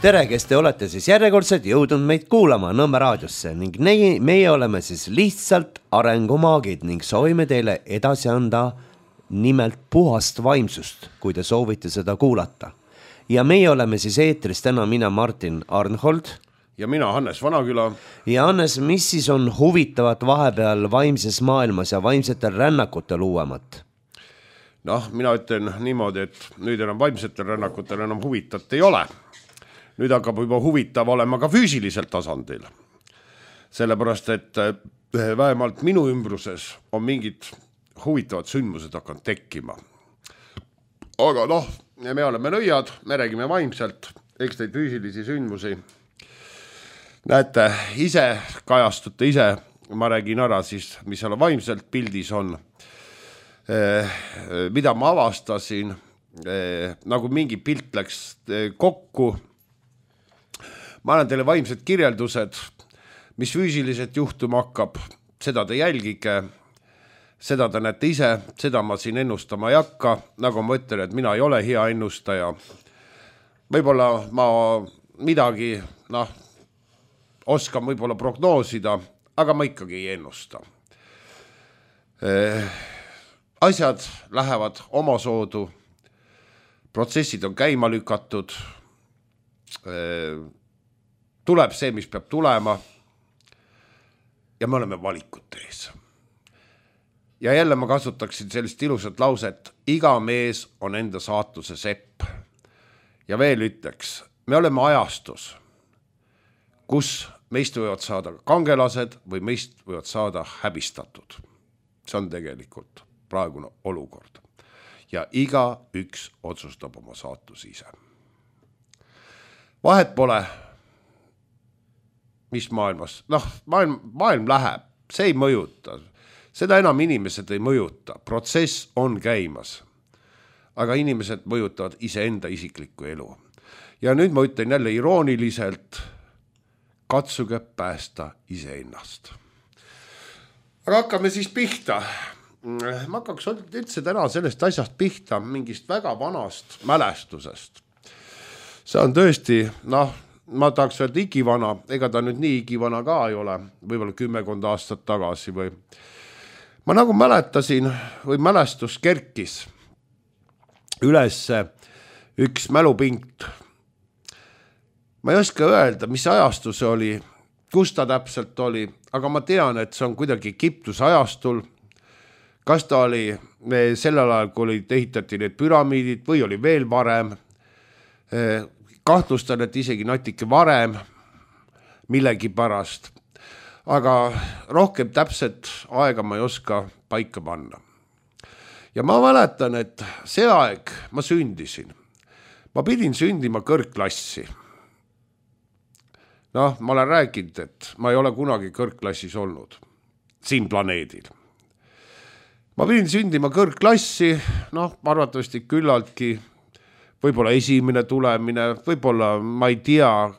Tere, kes te olete siis järjekordselt jõudnud meid kuulama Nõmme raadiosse ning meie oleme siis lihtsalt arengumaagid ning soovime teile edasi anda nimelt puhast vaimsust, kui te soovite seda kuulata. Ja meie oleme siis eetris täna mina Martin Arnhold ja mina Hannes Vanaküla. Ja Hannes, mis siis on huvitavat vahepeal vaimses maailmas ja vaimsetel rännakutel uuemat? Noh, mina ütlen niimoodi, et nüüd enam vaimsetel rännakutel enam huvitat ei ole. Nüüd hakkab juba huvitav olema ka füüsilisel tasandil. Sellepärast, et vähemalt minu ümbruses on mingid huvitavad sündmused hakanud tekkima. Aga noh, me oleme nõiad, me räägime vaimselt, eks neid füüsilisi sündmusi. Näete, ise kajastute ise, ma räägin ära siis, mis seal vaimselt pildis on. Mida ma avastasin, nagu mingi pilt läks kokku. Ma annan teile vaimsed kirjeldused, mis füüsiliselt juhtuma hakkab, seda te jälgige, seda te näete ise, seda ma siin ennustama ei hakka, nagu ma ütlen, et mina ei ole hea ennustaja. Võib-olla ma midagi, oskan võib-olla prognoosida, aga ma ikkagi ei ennusta. Asjad lähevad omasoodu, protsessid on käima lükatud, tuleb see, mis peab tulema ja me oleme valikute ees. Ja jälle ma kasutaksin sellist ilusat lauset, iga mees on enda saatuse sepp. Ja veel ütleks, me oleme ajastus, kus meist võivad saada kangelased või meist võivad saada häbistatud. See on tegelikult praegune olukord. Ja iga üks otsustab oma saatus ise. Vahet pole, mis maailmas, maailm läheb, see ei mõjuta, seda enam inimesed ei mõjuta, protsess on käimas, aga inimesed mõjutavad iseenda isiklikku elu. Ja nüüd ma ütlen jälle irooniliselt, katsuge päästa iseennast. Aga hakkame siis pihta. Ma hakkaks üldse täna sellest asjast pihta, mingist väga vanast mälestusest. See on tõesti, ma tahaks öelda igivana, ega ta nüüd nii igivana ka ei ole, võib-olla 10 aastat tagasi või. Ma nagu mäletasin või mälestus kerkis üles üks mälupinkt. Ma ei oska öelda, mis ajastus oli, kus ta täpselt oli, aga ma tean, et see on kuidagi Egiptuse ajastul. Kas ta oli sellel ajal, kui ehitati need püramiidid või oli veel varem. Kahtlustan, et isegi natuke varem millegi pärast, aga rohkem täpselt aega ma ei oska paika panna. Ja ma mäletan, et see aeg ma sündisin. Ma pidin sündima kõrgklassi. Ma olen rääkinud, et ma ei ole kunagi kõrgklassis olnud siin planeedil. Ma pidin sündima kõrgklassi, arvatavasti küllaltki võib-olla esimene tulemine, võib-olla ma ei tea,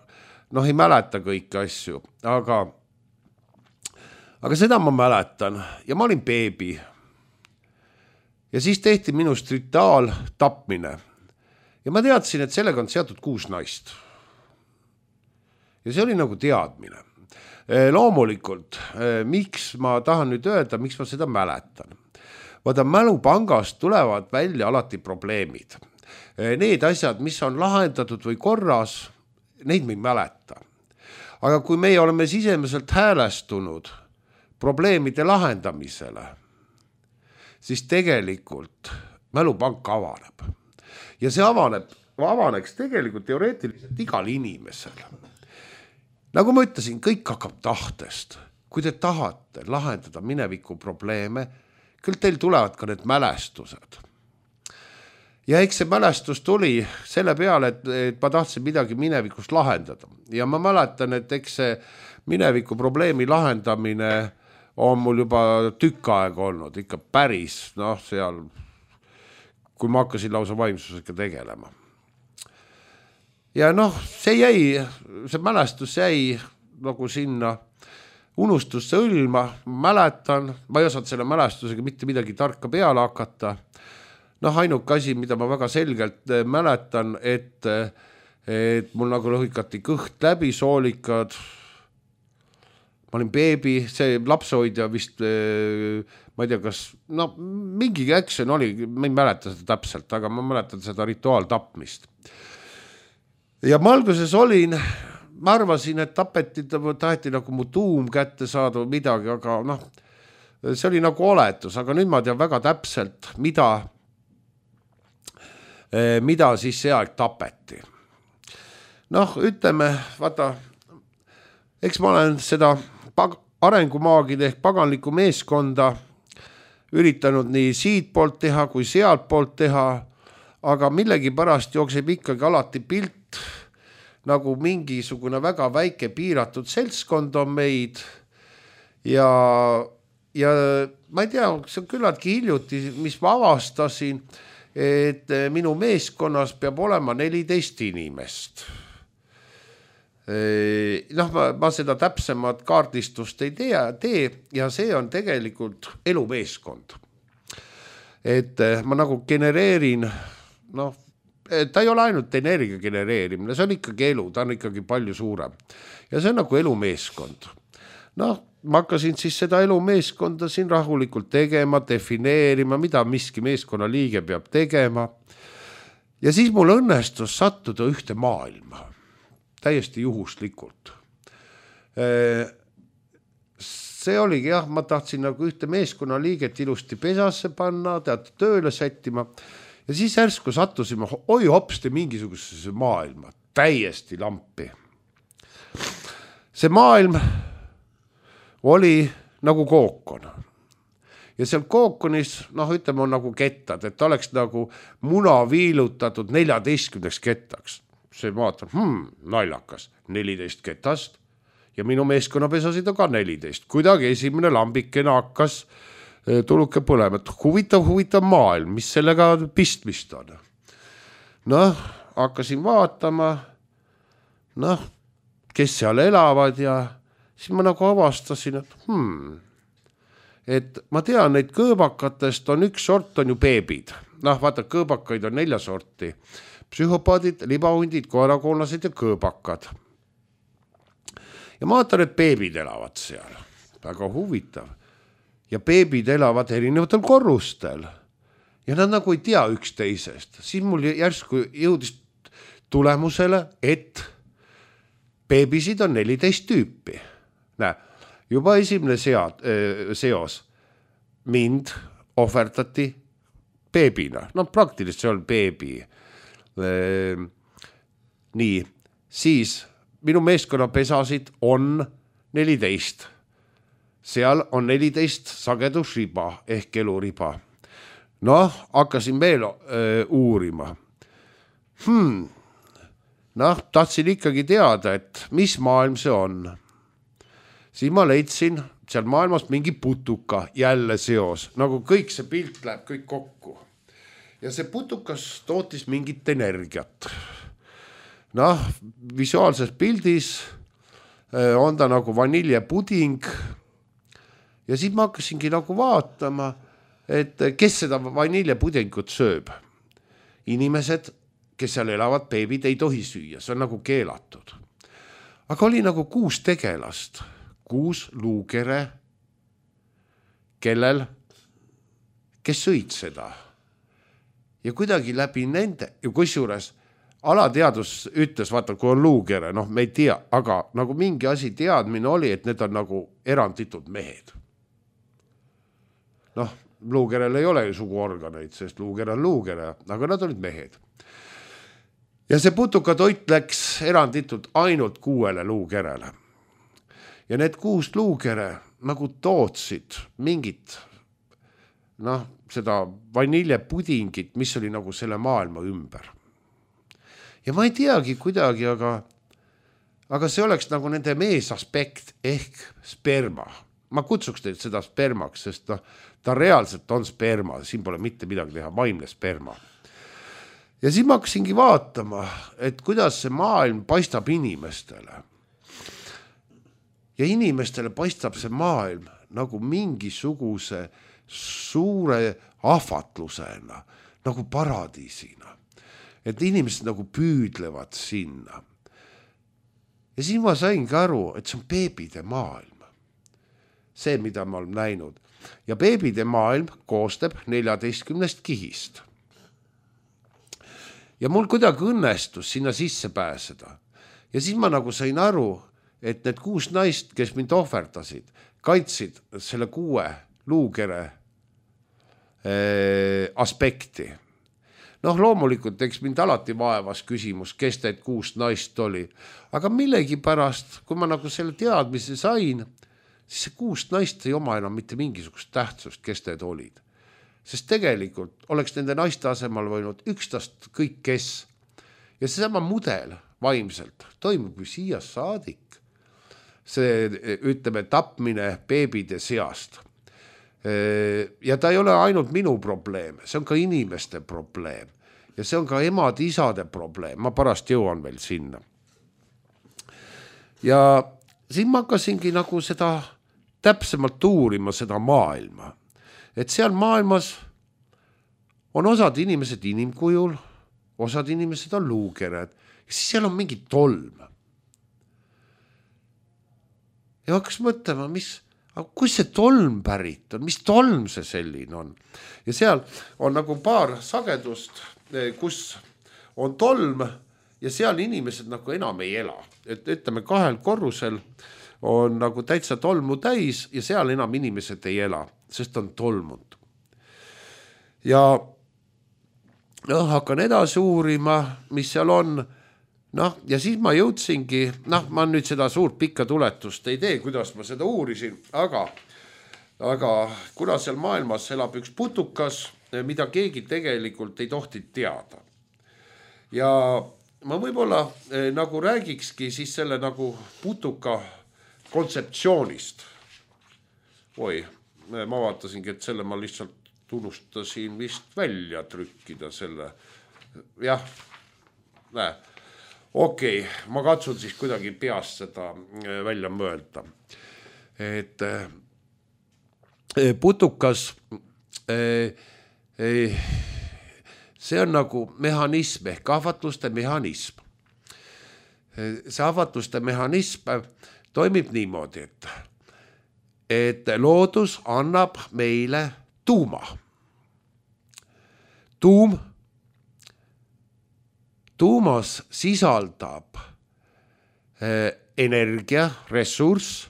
ei mäleta kõiki asju, aga seda ma mäletan ja ma olin beebi. Ja siis tehti minust rituaaltapmine ja ma teadsin, et sellega on seatud 6 naist. Ja see oli nagu teadmine. Loomulikult, miks ma tahan nüüd öelda, miks ma seda mäletan. Vaata, mälupangast tulevad välja alati probleemid. Need asjad, mis on lahendatud või korras, neid me ei mäleta. Aga kui meie oleme sisemiselt häälestunud probleemide lahendamisele, siis tegelikult mälupank avaneb. Ja see avaneks tegelikult teoreetiliselt igal inimesel. Nagu ma ütlesin, kõik hakkab tahtest. Kui te tahate lahendada mineviku probleeme, küll teil tulevad ka need mälestused. Ja eks see mälestus tuli selle peale, et ma tahtsin midagi minevikust lahendada. Ja ma mäletan, et eks see mineviku probleemi lahendamine on mul juba tükk aega olnud, ikka päris, seal, kui ma hakkasin lausa vaimsusega tegelema. Ja see mälestus jäi nagu sinna unustusse õlma, mäletan, ma ei osanud selle mälestusega mitte midagi tarka peale hakata. Ainuke asi, mida ma väga selgelt mäletan, et et mul nagu lõhikati kõht läbi, soolikad. Ma olin beebi, see lapsehoidja vist, ma ei tea, kas, no mingi action oli, ma ei mäleta seda täpselt, aga ma mäletan seda rituaaltapmist. Ja ma alguses olin, ma arvasin, et tapeti, taheti nagu mu tuum kätte saada või midagi, aga noh, see oli nagu oletus, aga nüüd ma tean väga täpselt, mida siis see aeg tapeti. Noh, ütleme, vaata, eks ma olen seda arengumaagid ehk paganlikku meeskonda üritanud nii siit poolt teha kui sealt poolt teha, aga millegi pärast jookseb ikkagi alati pilt, nagu mingisugune väga väike piiratud seltskond on meid ja ma ei tea, see on küllaltki hiljuti, mis ma avastasin, et minu meeskonnas peab olema 14 inimest. Noh, ma seda täpsemat kaardistust ei tee ja see on tegelikult elumeeskond. Et ma nagu genereerin, noh, ta ei ole ainult energia genereerimine, see on ikkagi elu, ta on ikkagi palju suurem. Ja see on nagu elumeeskond. Noh, ma hakkasin siis seda elumeeskonda siin rahulikult tegema, defineerima, mida miski meeskonna liige peab tegema. Ja siis mul õnnestus sattuda ühte maailma. Täiesti juhuslikult. See oligi, jah, ma tahtsin nagu ühte meeskonna liiget ilusti pesasse panna, tead tööle sättima ja siis järsku sattusime, oi hopsti mingisugusesse maailma, täiesti lampi. See maailm oli nagu kookon ja seal kookonis, noh ütleme, on nagu kettad, et oleks nagu muna viilutatud 14 kettaks. See vaatab, naljakas, 14 ketast ja minu meeskonnapesasid on ka 14. Kuidagi esimene lambikene hakkas tuluke põlema, et huvitav maailm, mis sellega pistmist on. Noh, hakkasin vaatama, noh, kes seal elavad ja siis ma nagu avastasin, et ma tean, neid kõõbakatest on üks sort on ju beebid. Noh, vaata, kõõbakaid on 4 sorti. Psühhopaadid, libahundid, koerakoonlased ja kõõbakad. Ja ma vaatan, et beebid elavad seal. Väga huvitav. Ja beebid elavad erinevatel korrustel. Ja nad nagu ei tea üksteisest. Siis mul järsku jõudis tulemusele, et beebisid on 14 tüüpi. Näe, juba esimene seos. Mind ohverdati beebina. No praktiliselt see on beebi. Nii, siis minu meeskonna pesasid on 14. Seal on 14 sagedusriba ehk eluriba. Noh, hakkasin veel uurima. Noh, tahtsin ikkagi teada, et mis maailm see on. Siis ma leidsin seal maailmas mingi putuka, jälle seos, nagu kõik see pilt läheb kõik kokku. Ja see putukas tootis mingit energiat. Noh, visuaalses pildis on ta nagu vaniljepuding ja siis ma hakkasingi nagu vaatama, et kes seda vaniljepudingut sööb. Inimesed, kes seal elavad, beebid ei tohi süüa, see on nagu keelatud. Aga oli nagu 6 tegelast, 6 luukere, kes sõid seda. Ja kuidagi läbi nende, ja kusjuures alateadus ütles, vaata, kui on luukere, noh, me ei tea, aga nagu mingi asi teadmine oli, et need on nagu eranditud mehed. Noh, luukerel ei ole ju suguorganeid, sest luuker on luukere, aga nad olid mehed. Ja see putuka toit läks eranditult ainult 6 luukerele. Ja need 6 luukere nagu tootsid mingit, noh, seda vaniljepudingit, mis oli nagu selle maailma ümber. Ja ma ei teagi kuidagi, aga see oleks nagu nende meesaspekt ehk sperma. Ma kutsuks teid seda spermaks, sest ta reaalselt on sperma, siin pole mitte midagi teha, vaimne sperma. Ja siis ma hakkasingi vaatama, et kuidas see maailm paistab inimestele. Ja inimestele paistab see maailm nagu mingisuguse suure ahvatlusena, nagu paradiisina. et inimesed nagu püüdlevad sinna. Ja siis ma saingi aru, et see on beebide maailm. See, mida ma olen näinud. Ja beebide maailm koostab 14 kihist. Ja mul kuidagi õnnestus sinna sisse pääseda. Ja siis ma nagu sain aru, et need 6 naist, kes mind ohverdasid, kaitsid selle 6 luukere aspekti. Noh, loomulikult, eks mind alati vaevas küsimus, kes need 6 naist oli. Aga millegi pärast, kui ma nagu selle teadmise sain, siis see 6 naist ei oma enam mitte mingisugust tähtsust, kes need olid. Sest tegelikult oleks nende naiste asemel võinud ükstast kõik kes. Ja seesama mudel vaimselt toimub ju siia saadik. See, ütleme, tapmine beebide seast. Ja ta ei ole ainult minu probleem, see on ka inimeste probleem. Ja see on ka emad-isade probleem, ma pärast jõuan veel sinna. Ja siin ma hakkasingi nagu seda täpsemalt uurima, seda maailma. Et seal maailmas on osad inimesed inimkujul, osad inimesed on luukered, ja siis seal on mingi tolm. Ja hakkas mõtlema, kus see tolm pärit on, mis tolm see selline on. Ja seal on nagu paar sagedust, kus on tolm ja seal inimesed nagu enam ei ela. Et ütleme 2 korrusel on nagu täitsa tolmu täis ja seal enam inimesed ei ela, sest on tolmund. Ja hakkan edasi uurima, mis seal on. Ja siis ma jõudsingi, ma nüüd seda suurt pikka tuletust ei tee, kuidas ma seda uurisin, aga kuna seal maailmas elab üks putukas, mida keegi tegelikult ei tohti teada. Ja ma võib-olla nagu räägikski siis selle nagu putuka kontseptsioonist. Oi, ma vaatasingi, et selle ma lihtsalt unustasin vist välja trükkida selle. Jah, näe. Okei, ma katsun siis kuidagi peast seda välja mõelda. Et putukas, see on nagu mehhanism ehk ahvatluste mehhanism. See ahvatluste mehhanism toimib niimoodi, et loodus annab meile tuuma. Tuumas sisaldab energia, ressurss.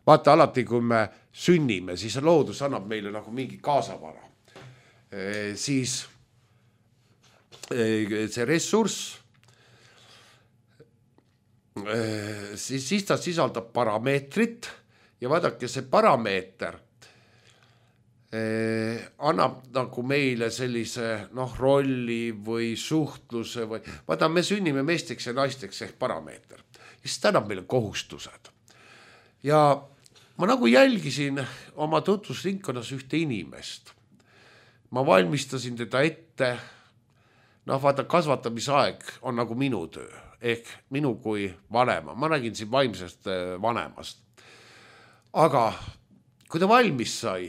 Vaata alati, kui me sünnime, siis loodus annab meile nagu mingi kaasavara. Siis see ressurss, siis ta sisaldab parameetrit ja vaadake, see parameeter annab nagu meile sellise rolli või suhtluse või vaata, me sünnime meesteks ja naisteks ehk parameeter. Ja siis ta annab meile kohustused. Ja ma nagu jälgisin oma tutvusringkonnas ühte inimest. Ma valmistasin teda ette. Vaata, kasvatamisaeg on nagu minu töö ehk minu kui vanema. Ma räägin siin vaimsest vanemast. Aga kui ta valmis sai,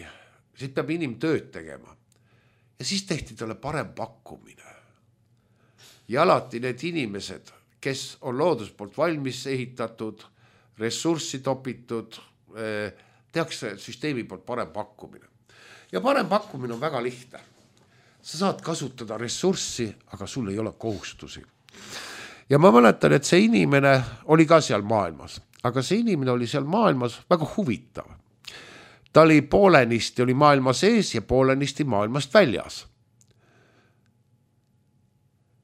siis peab inimtööd tegema. Ja siis tehti talle parem pakkumine. Ja alati need inimesed, kes on loodus poolt valmis ehitatud, ressurssi topitud, tehakse süsteemi poolt parem pakkumine. Ja parem pakkumine on väga lihtne. Sa saad kasutada ressurssi, aga sul ei ole kohustusi. Ja ma mäletan, et see inimene oli ka seal maailmas, aga see inimene oli seal maailmas väga huvitav. Ta oli poolenisti oli maailma sees ja poolenisti maailmast väljas.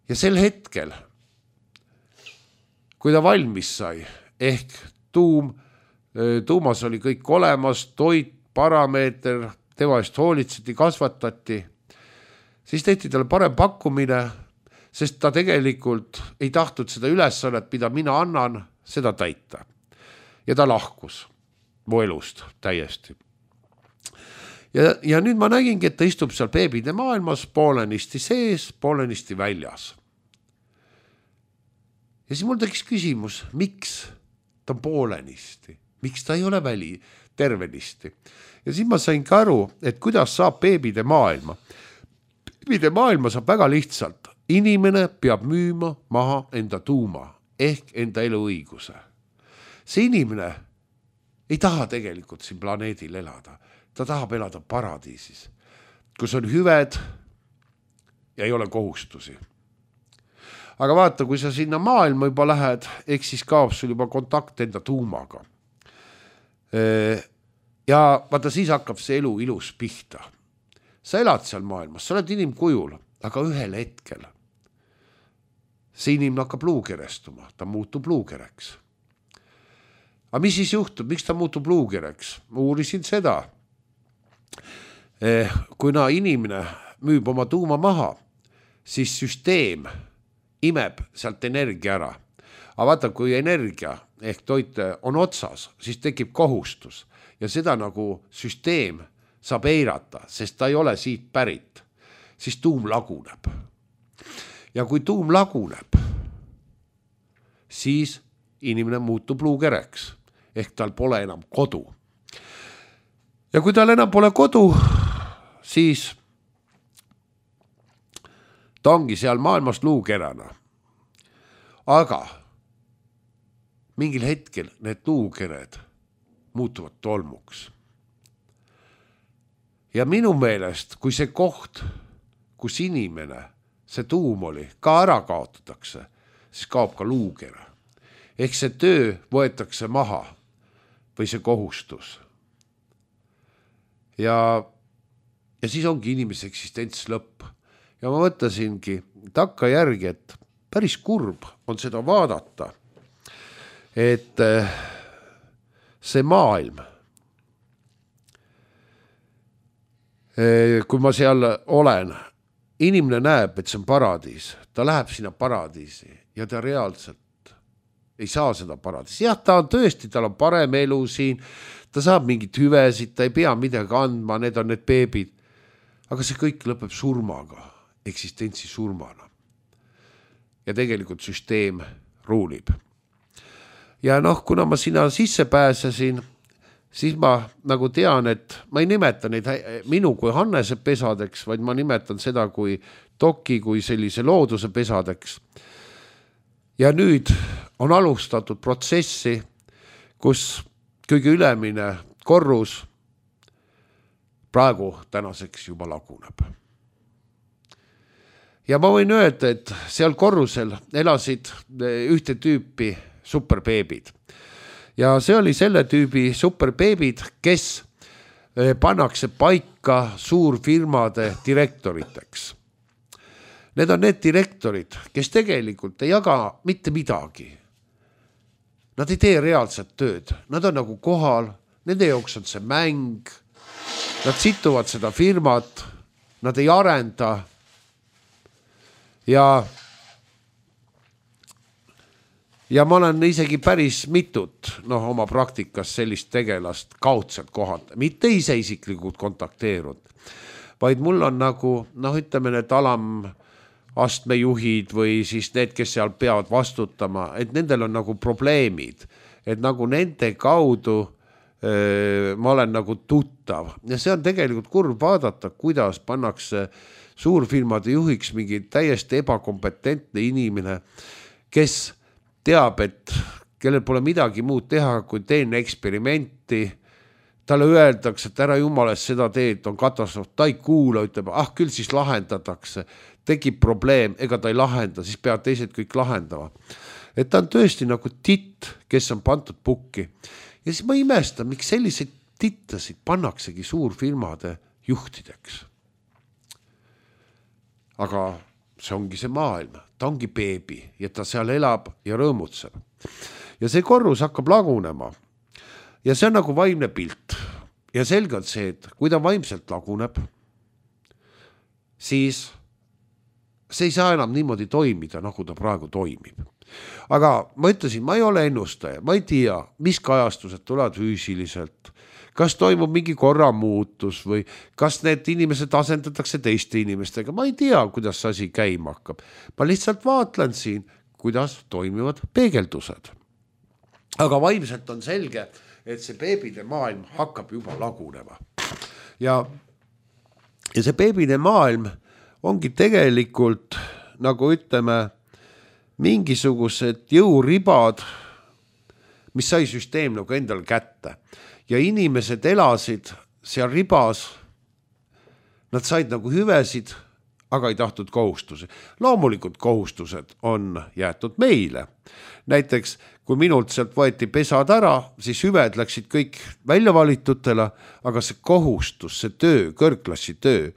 Ja sel hetkel, kui ta valmis sai, ehk tuumas oli kõik olemas, toit, parameeter, tema eest hoolitseti, kasvatati, siis tehti talle parem pakkumine, sest ta tegelikult ei tahtnud seda ülesannet, mida mina annan, seda täita. Ja ta lahkus mu elust täiesti. Ja nüüd ma nägingi, et ta istub seal beebide maailmas, poolenisti sees, poolenisti väljas. Ja siis mul tekkis küsimus, miks ta on poolenisti, miks ta ei ole tervenisti. Ja siis ma sain ka aru, et kuidas saab beebide maailma. Beebide maailma saab väga lihtsalt. inimene peab müüma maha enda tuuma ehk enda eluõiguse. See inimene ei taha tegelikult siin planeedil elada. Ta tahab elada paradiisis, kus on hüved ja ei ole kohustusi. Aga vaata, kui sa sinna maailma juba lähed, eks siis kaob sul juba kontakt enda tuumaga. Ja vaata, siis hakkab see elu ilus pihta. Sa elad seal maailmas, sa oled inimkujul, aga ühel hetkel see inimene hakkab luukerestuma, ta muutub luukereks. Aga mis siis juhtub, miks ta muutub luukereks? Ma uurisin seda. Kuna inimene müüb oma tuuma maha, siis süsteem imeb sealt energia ära. Aga vaata, kui energia ehk toit on otsas, siis tekib kohustus ja seda nagu süsteem saab eirata, sest ta ei ole siit pärit, siis tuum laguneb. Ja kui tuum laguneb, siis inimene muutub luukereks ehk tal pole enam kodu. Ja kui tal enam pole kodu, siis ta ongi seal maailmas luukerana. Aga mingil hetkel need luukered muutuvad tolmuks. Ja minu meelest, kui see koht, kus inimene, see tuum oli, ka ära kaotatakse, siis kaob ka luuker. Ehk see töö võetakse maha või see kohustus. Ja siis ongi inimese eksistents lõpp. Ja ma mõtlesingi takka järgi, et päris kurb on seda vaadata, et see maailm, kui ma seal olen, inimene näeb, et see on paradiis, ta läheb sinna paradiisi ja ta reaalselt ei saa seda paradiisi. Jah, ta on tõesti, tal on parem elu siin, ta saab mingit hüvesid, ta ei pea midagi andma, need on need beebid, aga see kõik lõpeb surmaga, eksistentsi surmana. Ja tegelikult süsteem ruulib. Ja kuna ma sinna sisse pääsesin, siis ma nagu tean, et ma ei nimeta neid minu kui Hannese pesadeks, vaid ma nimetan seda kui Toki, kui sellise looduse pesadeks. Ja nüüd on alustatud protsessi, kus kõige ülemine korrus praegu tänaseks juba laguneb. Ja ma võin öelda, et seal korrusel elasid ühte tüüpi superbeebid. Ja see oli selle tüübi superbeebid, kes pannakse paika suurfirmade direktoriteks. Need on need direktorid, kes tegelikult ei jaga mitte midagi. Nad ei tee reaalset tööd. Nad on nagu kohal, nende jaoks on see mäng. Nad situvad seda firmat, nad ei arenda. Ja ma olen isegi päris mitut oma praktikas sellist tegelast kaudselt kohalt, mitte ise isiklikult kontakteerunud, vaid mul on nagu, ütleme need alamastmejuhid või siis need, kes seal peavad vastutama, et nendel on nagu probleemid, et nagu nende kaudu ma olen nagu tuttav. Ja see on tegelikult kurb vaadata, kuidas pannakse suurfirmade juhiks mingi täiesti ebakompetentne inimene, kes teab, et kellel pole midagi muud teha, kui teen eksperimenti. Talle öeldakse, et ära jumalast seda teed, on katastroof. Ta ei kuula, ütleb, küll siis lahendatakse. Tekib probleem, ega ta ei lahenda, siis peavad teised kõik lahendama. Et ta on tõesti nagu titt, kes on pandud pukki. Ja siis ma imestan, miks selliseid tittasid pannaksegi suurfirmade juhtideks. Aga see ongi see maailm, ta ongi beebi ja ta seal elab ja rõõmutseb. Ja see korrus hakkab lagunema ja see on nagu vaimne pilt. Ja selge on see, et kui ta vaimselt laguneb, siis see ei saa enam niimoodi toimida, nagu ta praegu toimib. Aga ma ütlesin, ma ei ole ennustaja, ma ei tea, mis kajastused tulevad füüsiliselt, kas toimub mingi korramuutus või kas need inimesed asendatakse teiste inimestega. Ma ei tea, kuidas asi käima hakkab. Ma lihtsalt vaatlen siin, kuidas toimivad peegeldused. Aga vaimselt on selge, et see beebide maailm hakkab juba lagunema. Ja see beebide maailm ongi tegelikult nagu ütleme, mingisugused jõuribad, mis sai süsteem nagu endale kätte ja inimesed elasid seal ribas, nad said nagu hüvesid, aga ei tahtnud kohustusi. Loomulikult kohustused on jäetud meile. Näiteks, kui minult sealt võeti pesad ära, siis hüved läksid kõik välja valitutele, aga see kohustus, see töö, kõrgklassi töö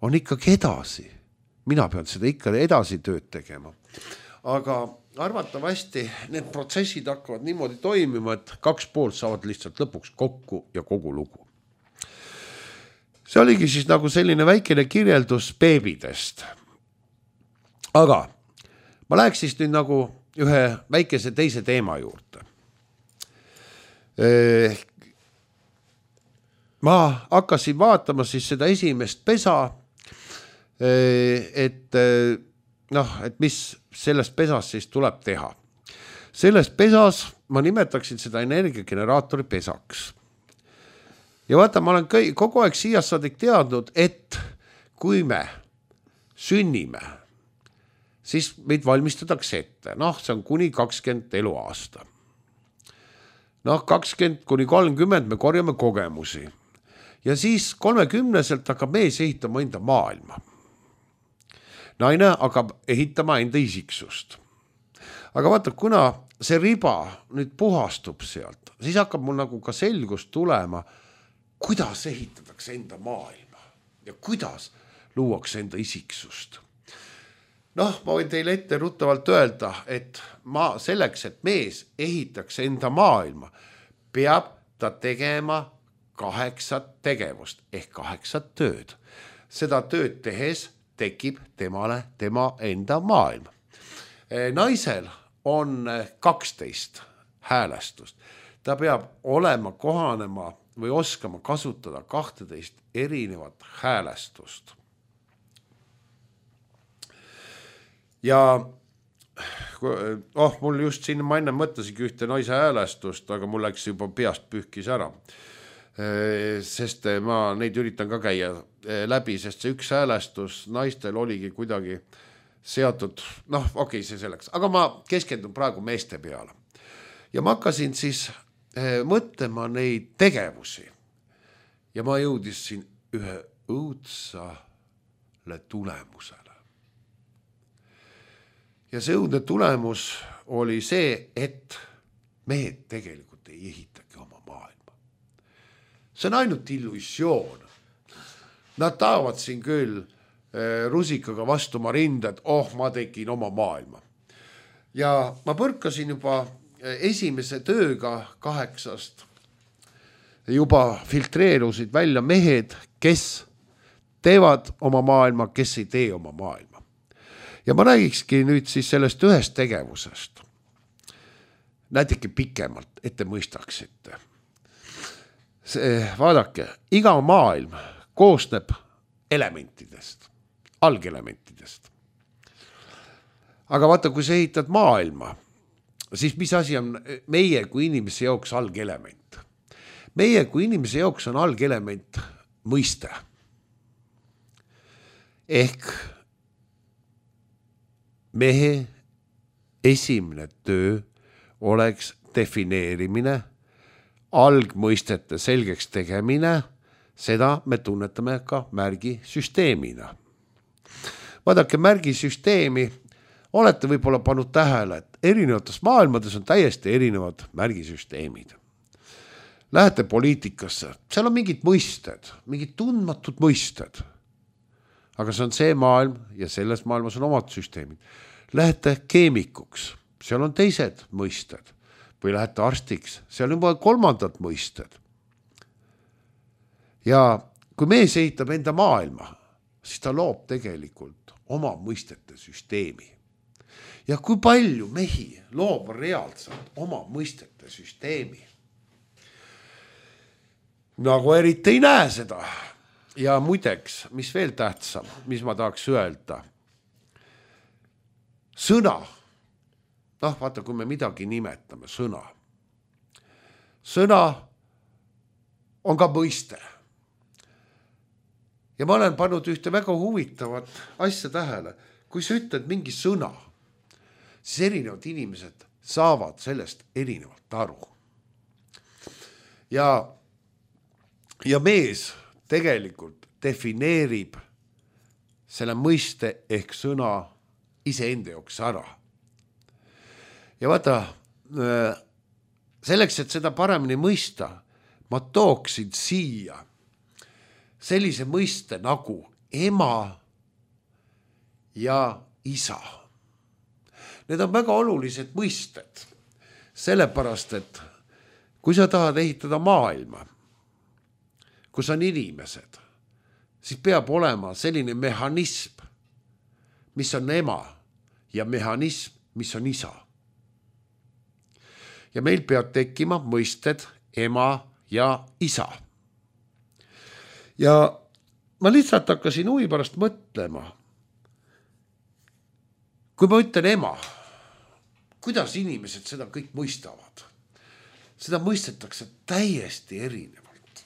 on ikkagi edasi. Mina pean seda ikka edasi tööd tegema. Aga arvatavasti need protsessid hakkavad niimoodi toimima, et 2 poolt saavad lihtsalt lõpuks kokku ja kogu lugu. See oligi siis nagu selline väikene kirjeldus beebidest. Aga ma läheks siis nüüd nagu ühe väikese teise teema juurde. Ma hakkasin vaatama siis seda esimest pesa, et mis sellest pesas siis tuleb teha. Selles pesas ma nimetaksin seda energiageneraatori pesaks. Ja vaata, ma olen kogu aeg siiast saadik teadnud, et kui me sünnime, siis meid valmistatakse ette. See on kuni 20 eluaasta. 20 kuni 30 me korjame kogemusi. Ja siis 30-selt hakkab mees ehitama enda maailma. Naine hakkab ehitama enda isiksust. Aga vaata, kuna see riba nüüd puhastub sealt, siis hakkab mul nagu ka selgus tulema, kuidas ehitatakse enda maailma ja kuidas luuakse enda isiksust. Ma võin teile ette ruttavalt öelda, et selleks, et mees ehitaks enda maailma, peab ta tegema 8 tegevust ehk 8 tööd. Seda tööd tehes tekib temale tema enda maailm. Naisel on 12 häälestust. Ta peab olema kohanema või oskama kasutada 12 erinevat häälestust. Ja mul just siin ma enne mõtlesingi ühte naise häälestust, aga mul läks juba peast pühkis ära. Sest ma neid üritan ka käia läbi, sest see üks häälestus naistel oligi kuidagi seatud, see selleks. Aga ma keskendun praegu meeste peale. Ja ma hakkasin siis mõtlema neid tegevusi ja ma jõudisin ühe õudsale tulemusele. Ja see õudne tulemus oli see, et mehed tegelikult ei ehitagi oma maailma. See on ainult illusioon. Nad tahavad siin küll rusikaga vastu ma rinded, ma tegin oma maailma. Ja ma põrkasin juba esimese tööga 8 juba filtreerusid välja mehed, kes teevad oma maailma, kes ei tee oma maailma. Ja ma räägikski nüüd siis sellest ühest tegevusest. Näiteki pikemalt, et te mõistaksite. Vaadake, iga maailm koosneb elementidest, algelementidest. Aga vaata, kui sa ehitad maailma, siis mis asi on meie kui inimese jaoks algelement? Meie kui inimese jaoks on algelement mõiste. Ehk mehe esimene töö oleks defineerimine, algmõistete selgeks tegemine, seda me tunnetame ka märgisüsteemina. Vaadake, märgisüsteemi olete võib-olla pannud tähele, et erinevates maailmades on täiesti erinevad märgisüsteemid. Lähete poliitikasse, seal on mingid mõisted, mingid tundmatud mõisted. Aga see on see maailm ja selles maailmas on omad süsteemid. Lähete keemikuks, seal on teised mõisted. Või lähete arstiks, seal on juba 3. mõisted. Ja kui mees ehitab enda maailma, siis ta loob tegelikult oma mõistete süsteemi. Ja kui palju mehi loob reaalselt oma mõistete süsteemi? Nagu eriti ei näe seda. Ja muideks, mis veel tähtsam, mis ma tahaks öelda? Sõna. Vaata, kui me midagi nimetame, sõna. Sõna on ka mõiste. Ja ma olen pannud ühte väga huvitavat asja tähele. kui sa ütled mingi sõna, siis erinevad inimesed saavad sellest erinevalt aru. Ja mees tegelikult defineerib selle mõiste ehk sõna iseenda jaoks ära. Ja vaata, selleks, et seda paremini mõista, ma tooksin siia sellise mõiste nagu ema ja isa. Need on väga olulised mõisted, sellepärast, et kui sa tahad ehitada maailma, kus on inimesed, siis peab olema selline mehhanism, mis on ema ja mehhanism, mis on isa. Ja meil peab tekkima mõisted ema ja isa. Ja ma lihtsalt hakkasin huvi pärast mõtlema, kui ma ütlen ema, kuidas inimesed seda kõik mõistavad? Seda mõistetakse täiesti erinevalt.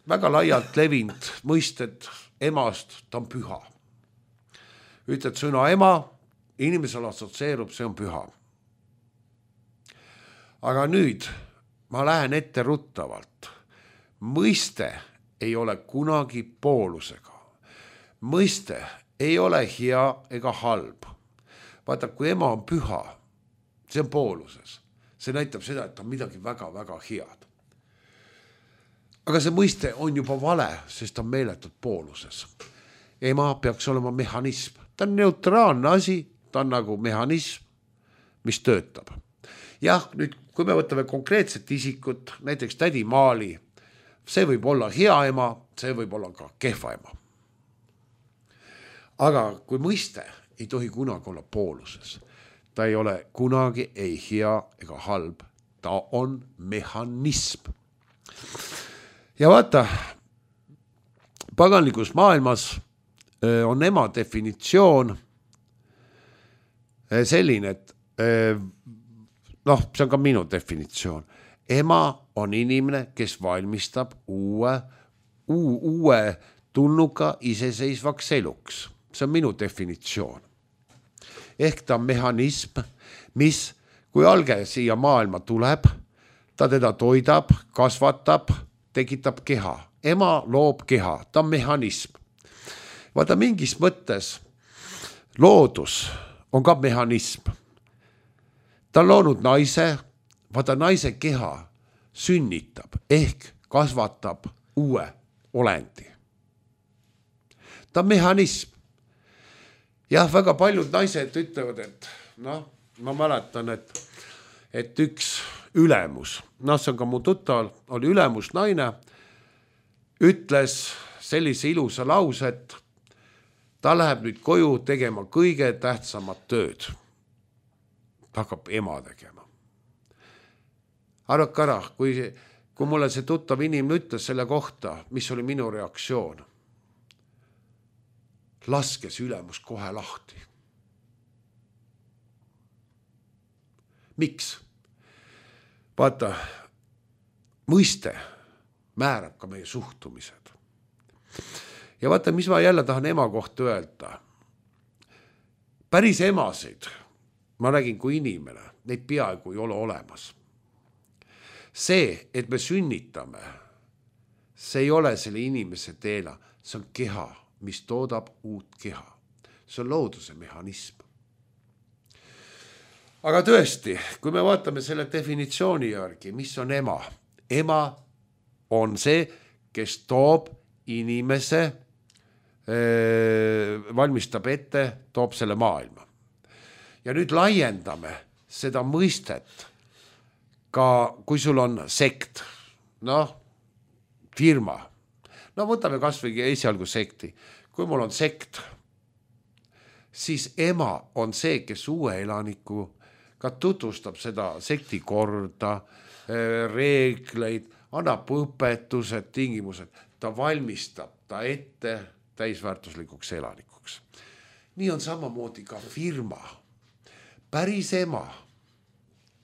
Väga laialt levinud mõisted emast, ta on püha. Ütled sõna ema, inimesel assotsieerub, see on püha. Aga nüüd ma lähen ette ruttavalt. Mõiste ei ole kunagi poolusega. Mõiste ei ole hea ega halb. Vaata, kui ema on püha, see on pooluses. See näitab seda, et on midagi väga-väga head. Aga see mõiste on juba vale, sest on meeletult pooluses. Ema peaks olema mehhanism. Ta on neutraalne asi, ta on nagu mehhanism, mis töötab. Jah, nüüd kui me võtame konkreetset isikut, näiteks tädi Maali, see võib olla hea ema, see võib olla ka kehva ema. Aga kui mõiste ei tohi kunagi olla pooluses, ta ei ole kunagi ei hea ega halb, ta on mehhanism. Ja vaata, paganlikus maailmas on ema definitsioon selline, et see on ka minu definitsioon. Ema on inimene, kes valmistab uue tulnuka iseseisvaks eluks. See on minu definitsioon. Ehk ta on mehhanism, mis kui alge siia maailma tuleb, ta teda toidab, kasvatab, tekitab keha. Ema loob keha, ta on mehhanism. Vaata, mingis mõttes loodus on ka mehhanism. Ta on loonud naise, vaata naise keha sünnitab ehk kasvatab uue olendi. Ta on mehhanism. Jah, väga paljud naised ütlevad, et ma mäletan, et üks ülemus, see on ka mu tuttaval, oli ülemus naine, ütles sellise ilusa lause, et ta läheb nüüd koju tegema kõige tähtsamat tööd. Ta hakkab ema tegema. Arvake ära, kui mulle see tuttav inimene ütles selle kohta, mis oli minu reaktsioon. Laskes ülemus kohe lahti. Miks? Vaata, mõiste määrab ka meie suhtumised. Ja vaata, mis ma jälle tahan ema kohta öelda. Päris emasid, ma räägin kui inimene, neid peaaegu ei ole olemas. See, et me sünnitame, see ei ole selle inimese teela, see on keha, mis toodab uut keha. See on looduse mehhanism. Aga tõesti, kui me vaatame selle definitsiooni järgi, mis on ema? Ema on see, kes toob inimese, valmistab ette, toob selle maailma. Ja nüüd laiendame seda mõistet ka, kui sul on sekt, firma. Võtame kas või esialgu sekti. Kui mul on sekt, siis ema on see, kes uue elaniku ka tutvustab seda sekti korda, reegleid, annab õpetused, tingimused. Ta valmistab ta ette täisväärtuslikuks elanikuks. Nii on samamoodi ka firma. Päris ema,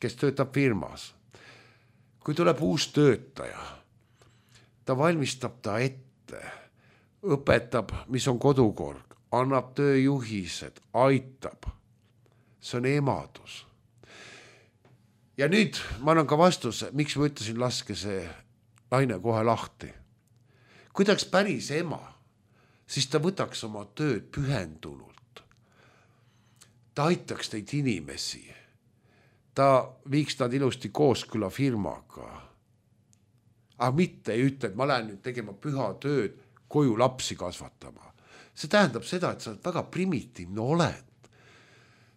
kes töötab firmas. Kui tuleb uus töötaja, ta valmistab ta ette, õpetab, mis on kodukord, annab tööjuhised, aitab. See on emadus. Ja nüüd ma annan ka vastuse, miks ma ütlesin, laske see naine kohe lahti. Kui ta oleks päris ema, siis ta võtaks oma tööd pühendunult. Ta aitaks neid inimesi. Ta viiks nad ilusti koosküla firmaga. Aga mitte ei ütle, et ma lähen nüüd tegema püha tööd, koju lapsi kasvatama. See tähendab seda, et sa oled väga primitiivne oled.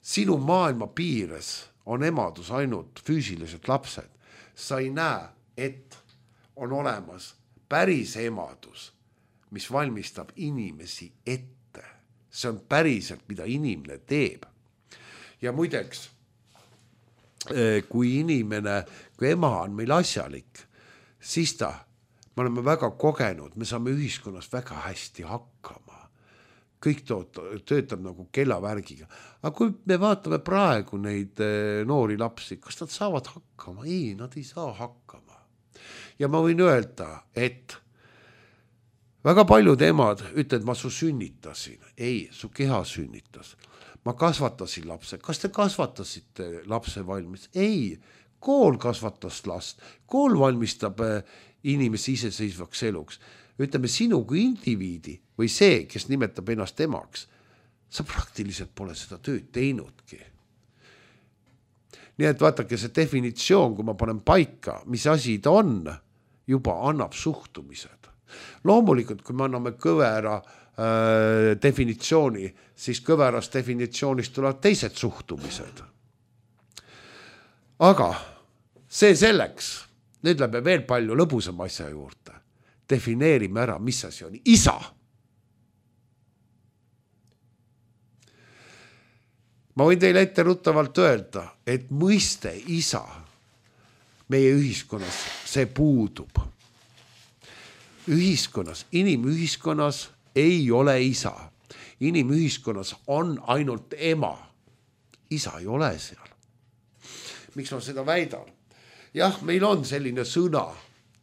Sinu maailma piires on emadus ainult füüsilised lapsed. Sa ei näe, et on olemas päris emadus, mis valmistab inimesi ette. See on päriselt, mida inimene teeb. Ja muideks, kui ema on meil asjalik, siis me oleme väga kogenud, me saame ühiskonnas väga hästi hakkama. Kõik töötab nagu kellavärgiga. Aga kui me vaatame praegu neid noori lapsi, kas nad saavad hakkama? Ei, nad ei saa hakkama. Ja ma võin öelda, et väga paljud emad ütlevad, ma su sünnitasin. Ei, su keha sünnitas. Ma kasvatasin lapse. Kas te kasvatasite lapse valmis? Ei, kool kasvatas last. Kool valmistab inimesi iseseisvaks eluks. Ütleme, sinu kui indiviidi või see, kes nimetab ennast emaks, sa praktiliselt pole seda tööd teinudki. Nii et vaatake, see definitsioon, kui ma panen paika, mis asi ta on, juba annab suhtumised. Loomulikult, kui me anname kõvera definitsiooni, siis kõverast definitsioonist tulevad teised suhtumised. Aga see selleks, nüüd läheme veel palju lõbusama asja juurde. Defineerime ära, mis asi on isa. Ma võin teile ette ruttavalt öelda, et mõiste isa meie ühiskonnas, see puudub. Inimühiskonnas ei ole isa. Inimühiskonnas on ainult ema. Isa ei ole seal. Miks ma seda väidan? Jah, meil on selline sõna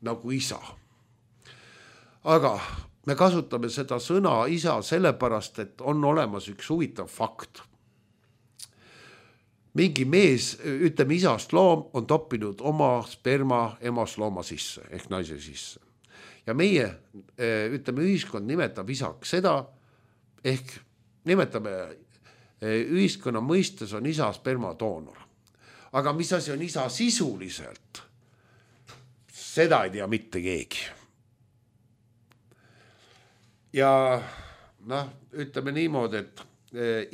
nagu isa. Aga me kasutame seda sõna isa sellepärast, et on olemas üks huvitav fakt. Mingi mees, ütleme isast loom, on toppinud oma sperma emast looma sisse, ehk naise sisse. Ja meie, ütleme, ühiskond nimetab isaks seda, ehk nimetame ühiskonna mõistes on isa spermadoonor. Aga mis asi on isa sisuliselt? Seda ei tea mitte keegi. Ja ütleme niimoodi, et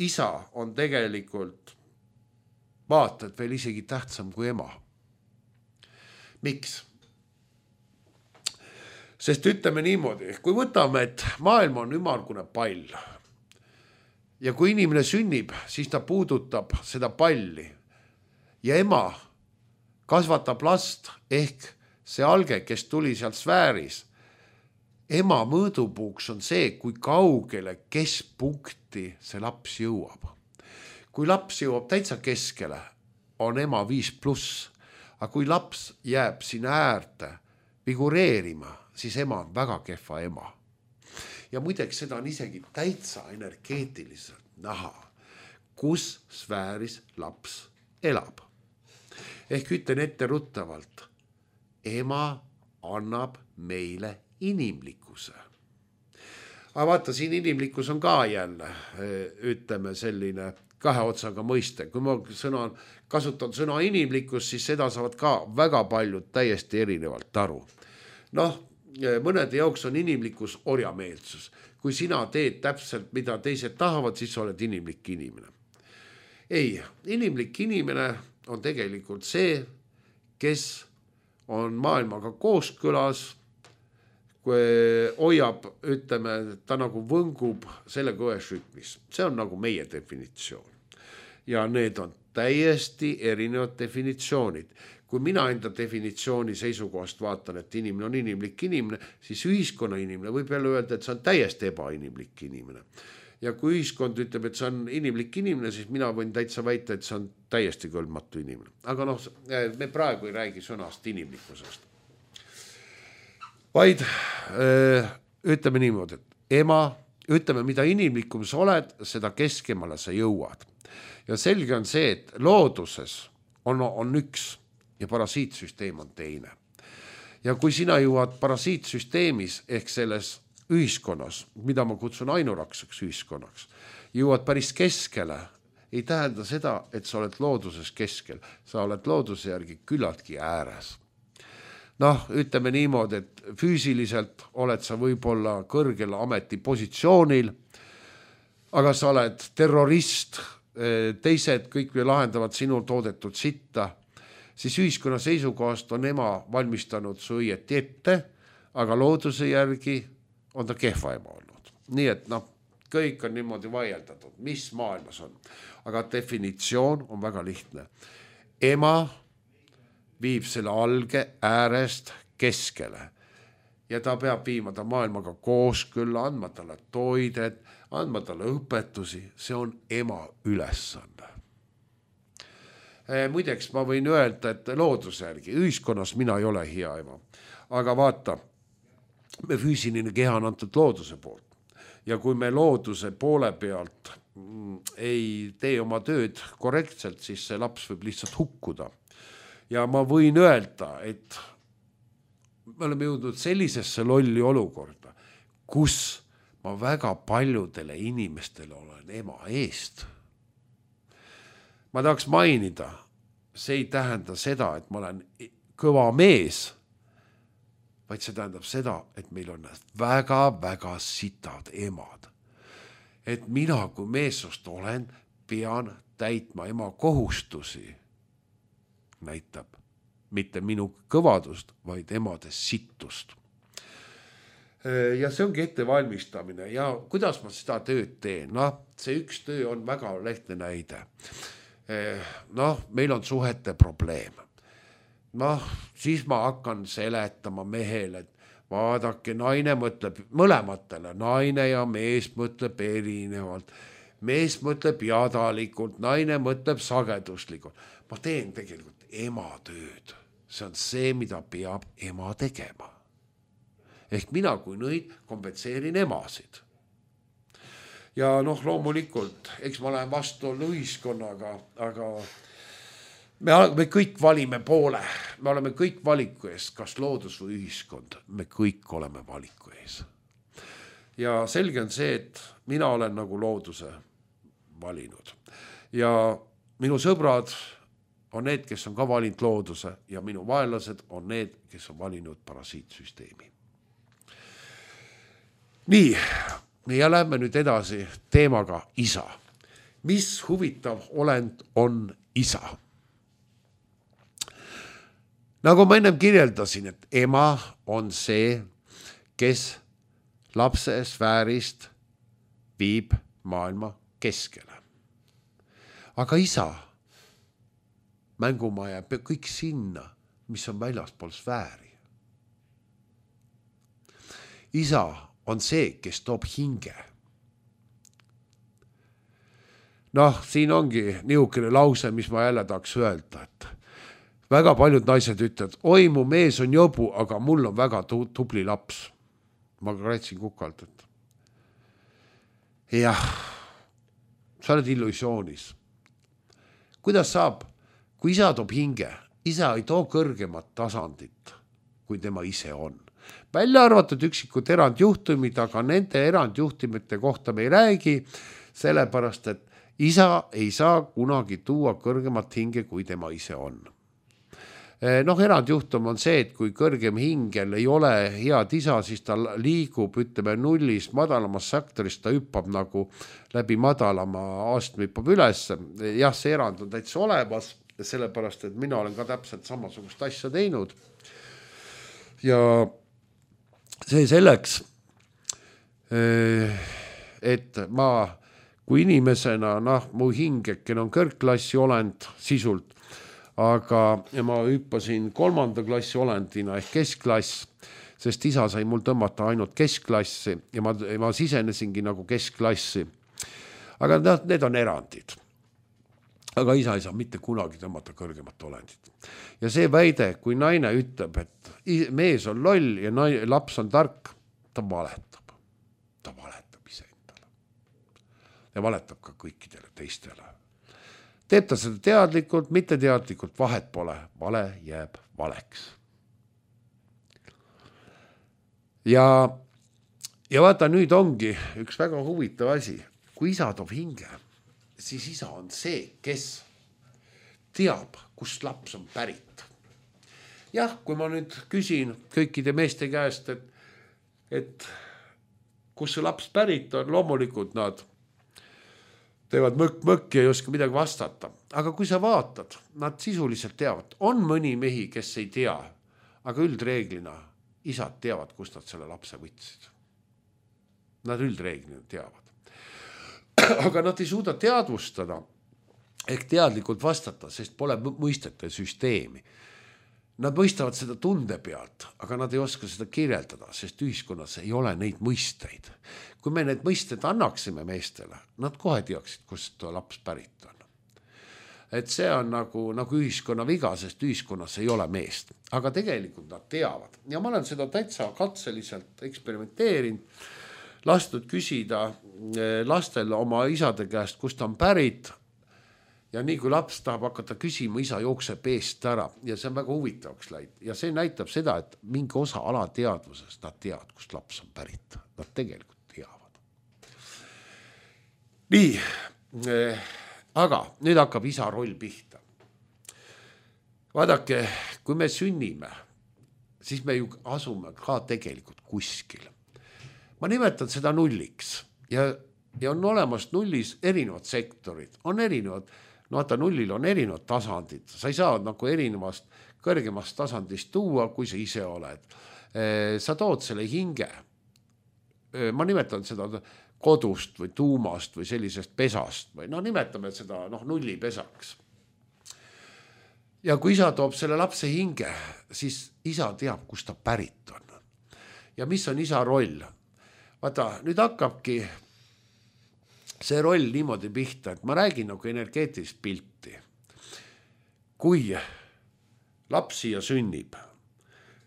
isa on tegelikult vaatad veel isegi tähtsam kui ema. Miks? Sest ütleme niimoodi, kui võtame, et maailm on ümmargune pall ja kui inimene sünnib, siis ta puudutab seda palli ja ema kasvatab last ehk see alge, kes tuli sealt sfääris. Ema mõõdupuuks on see, kui kaugele keskpunkti see laps jõuab. Kui laps jõuab täitsa keskele, on ema 5+, aga kui laps jääb sinna äärde figureerima, siis ema on väga kehva ema. Ja muideks seda on isegi täitsa energeetiliselt näha, kus sfääris laps elab. Ehk ütlen ette ruttavalt, ema annab meile inimlikkuse. Aga vaata, siin inimlikkus on ka jälle, ütleme selline kahe otsaga mõiste. Kui ma kasutan sõna inimlikkus, siis seda saavad ka väga paljud täiesti erinevalt aru. Mõnede jaoks on inimlikkus orjameelsus. Kui sina teed täpselt, mida teised tahavad, siis oled inimlik inimene. Ei, inimlik inimene on tegelikult see, kes on maailmaga kooskülas, kui hoiab, ütleme, ta nagu võngub selle kõves rütmis. See on nagu meie definitsioon. Ja need on täiesti erinevad definitsioonid. Kui mina enda definitsiooni seisukohast vaatan, et inimene on inimlik inimene, siis ühiskonna inimene võib jälle öelda, et see on täiesti ebainimlik inimene. Ja kui ühiskond ütleb, et see on inimlik inimene, siis mina võin täitsa väita, et see on täiesti kõlbmatu inimene. Aga me praegu ei räägi sõnast inimlikkusest. Vaid ütleme niimoodi, et ema ütleme, mida inimlikum sa oled, seda keskemale sa jõuad. Ja selge on see, et looduses on üks ja parasiitsüsteem on teine. Ja kui sina jõuad parasiitsüsteemis ehk selles ühiskonnas, mida ma kutsun ainurakseks ühiskonnaks, jõuad päris keskele, ei tähenda seda, et sa oled looduses keskel, sa oled looduse järgi küllaltki ääres. Noh, ütleme niimoodi, et füüsiliselt oled sa võib-olla kõrgel ametipositsioonil, aga sa oled terrorist, teised kõik lahendavad sinu toodetud sitta, siis ühiskonna seisukohast on ema valmistanud su õieti ette, aga looduse järgi on ta kehva ema olnud. Nii et kõik on niimoodi vaieldatud, mis maailmas on. Aga definitsioon on väga lihtne. Ema viib selle alge äärest keskele ja ta peab viima ta maailmaga kooskõlla, andma talle toidet, andma talle õpetusi, see on ema ülesanne. Muideks ma võin öelda, et looduse järgi, ühiskonnas mina ei ole hea ema, aga vaata, me füüsiline keha on antud looduse poolt ja kui me looduse poole pealt ei tee oma tööd korrektselt, siis see laps võib lihtsalt hukkuda. Ja ma võin öelda, et me oleme jõudnud sellisesse lolli olukorda, kus ma väga paljudele inimestele olen ema eest. Ma tahaks mainida, see ei tähenda seda, et ma olen kõva mees, vaid see tähendab seda, et meil on väga-väga sitad emad. Et mina kui meessoost olen, pean täitma ema kohustusi. Näitab mitte minu kõvadust, vaid emade sittust. Ja see ongi ettevalmistamine ja kuidas ma seda tööd teen? See üks töö on väga lehtne näide. Meil on suhete probleem. Siis ma hakkan seletama mehele, et vaadake, naine mõtleb mõlematele, naine ja mees mõtleb erinevalt. Mees mõtleb jadalikult, naine mõtleb sageduslikult. Ma teen tegelikult ema tööd. See on see, mida peab ema tegema. Ehk mina kui nõid kompetseerin emasid. Ja loomulikult, eks ma lähen vastu ühiskonnaga, aga me kõik valime poole. Me oleme kõik valiku ees, kas loodus või ühiskond. Me kõik oleme valiku ees. Ja selge on see, et mina olen nagu looduse valinud. Ja minu sõbrad on need, kes on ka valinud looduse ja minu vaenlased on need, kes on valinud parasiitsüsteemi. Nii, ja lähme nüüd edasi teemaga isa. Mis huvitav olend on isa? Nagu ma ennem kirjeldasin, et ema on see, kes lapse sfäärist viib maailma keskele. Aga isa mängumaja kõik sinna, mis on väljaspool sfääri. Isa on see, kes toob hinge. Siin ongi niisugune lause, mis ma jälle tahaks öelda, et väga paljud naised ütlevad, oi, mu mees on jobu, aga mul on väga tubli laps. Ma kratsin kukalt, et jah, sa oled illusioonis. Kuidas saab? Kui isa toob hinge, isa ei too kõrgemat tasandit, kui tema ise on. Välja arvatud üksikud erandjuhtumid, aga nende erandjuhtumite kohta me ei räägi, sellepärast, et isa ei saa kunagi tuua kõrgemat hinge, kui tema ise on. Erandjuhtum on see, et kui kõrgem hingel ei ole head isa, siis ta liigub, ütleme, nullist madalamas sektorist, ta hüppab nagu läbi madalama astme hüppab üles. Jah, see erand on täitsa olemas, sellepärast, et mina olen ka täpselt samasugust asja teinud. Ja see selleks, et ma kui inimesena, mu hingeken on kõrgklassi olend sisult, aga ma hüppasin 3. klassi olendina ehk keskklass, sest isa sai mul tõmmata ainult keskklassi ja ma sisenesingi nagu keskklassi. Aga need on erandid. Aga isa ei saa mitte kunagi tõmmata kõrgemat olendit. Ja see väide, kui naine ütleb, et mees on loll ja laps on tark, ta valetab. Ta valetab iseendale. ja valetab ka kõikidele teistele. Teeb ta seda teadlikult, mitte teadlikult, vahet pole, vale jääb valeks. Ja vaata, nüüd ongi üks väga huvitav asi. Kui isa toob hinge, siis isa on see, kes teab, kust laps on pärit. Jah, kui ma nüüd küsin kõikide meeste käest, et kus see laps pärit on, loomulikult nad teevad mõkk ja ei oska midagi vastata. Aga kui sa vaatad, nad sisuliselt teavad. On mõni mehi, kes ei tea, aga üldreeglina isad teavad, kust nad selle lapse võtsid. Nad üldreeglina teavad. Aga nad ei suuda teadvustada ehk teadlikult vastata, sest pole mõistete süsteemi. Nad mõistavad seda tunde pealt, aga nad ei oska seda kirjeldada, sest ühiskonnas ei ole neid mõisteid. Kui me need mõisted annaksime meestele, nad kohe teaksid, kust laps pärit on. Et see on nagu ühiskonna viga, sest ühiskonnas ei ole meest. Aga tegelikult nad teavad. Ja ma olen seda täitsa katseliselt eksperimenteerinud, lastud küsida lastel oma isade käest, kust on pärit. Ja nii kui laps tahab hakata küsima, isa jookseb eest ära ja see on väga huvitavaks läinud. Ja see näitab seda, et mingi osa alateadvusest nad teavad, kust laps on pärit. Nad tegelikult teavad. Nii, aga nüüd hakkab isa roll pihta. Vaadake, kui me sünnime, siis me ju asume ka tegelikult kuskil. Ma nimetan seda nulliks ja on olemas nullis erinevad sektorid, on erinevad. No vaata, nullil on erinevad tasandid. Sa ei saa nagu erinevast kõrgemast tasandist tuua, kui sa ise oled. Sa tood selle hinge. Ma nimetan seda kodust või tuumast või sellisest pesast. Või nimetame seda nullipesaks. Ja kui isa toob selle lapse hinge, siis isa teab, kust ta pärit on. Ja mis on isa roll? Vaata, nüüd hakkabki see roll niimoodi pihta, et ma räägin nagu energeetilist pilti. Kui laps siia sünnib,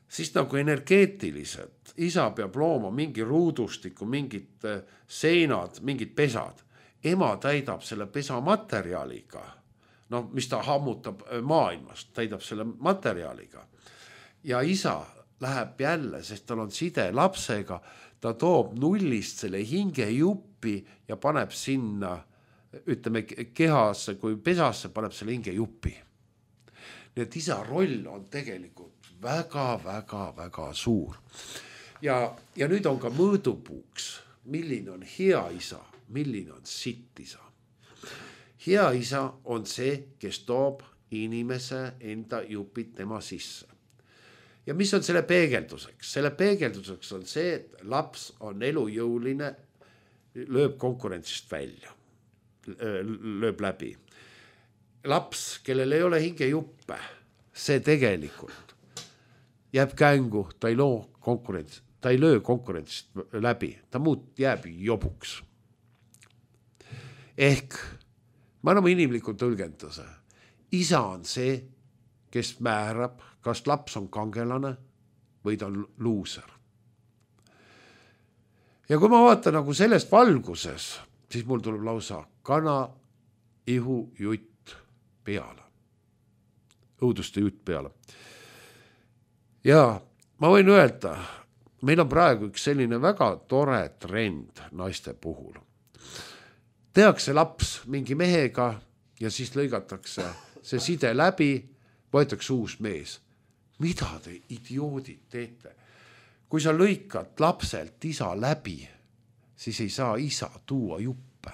siis nagu energeetiliselt isa peab looma mingi ruudustiku, mingid seinad, mingid pesad. Ema täidab selle pesa materjaliga, mis ta hammutab maailmast, täidab selle materjaliga. Ja isa läheb jälle, sest tal on side lapsega, ta toob nullist selle hinge juppi ja paneb sinna, ütleme, kehasse, kui pesasse paneb selle hinge juppi. Nii et isa roll on tegelikult väga suur. Ja nüüd on ka mõõdupuuks, milline on hea isa, milline on sitt isa. Hea isa on see, kes toob inimese enda jupid tema sisse. Ja mis on selle peegelduseks? Selle peegelduseks on see, et laps on elujõuline, lööb konkurentsist välja, lööb läbi. Laps, kellel ei ole hingejuppe, see tegelikult jääb kängu, ta ei löö konkurentsist läbi, ta jääb jobuks. Ehk, ma anname inimliku tõlgenduse. Isa on see, kes määrab, kas laps on kangelane või ta on luuser. Ja kui ma vaatan nagu sellest valguses, siis mul tuleb lausa kana, ihu, jutt peale. Õuduste jutt peale. Ja ma võin öelda, meil on praegu üks selline väga tore trend naiste puhul. Tehakse laps mingi mehega ja siis lõigatakse see side läbi, võetakse uus mees. Mida te idioodid teete? Kui sa lõikad lapselt isa läbi, siis ei saa isa tuua juppe.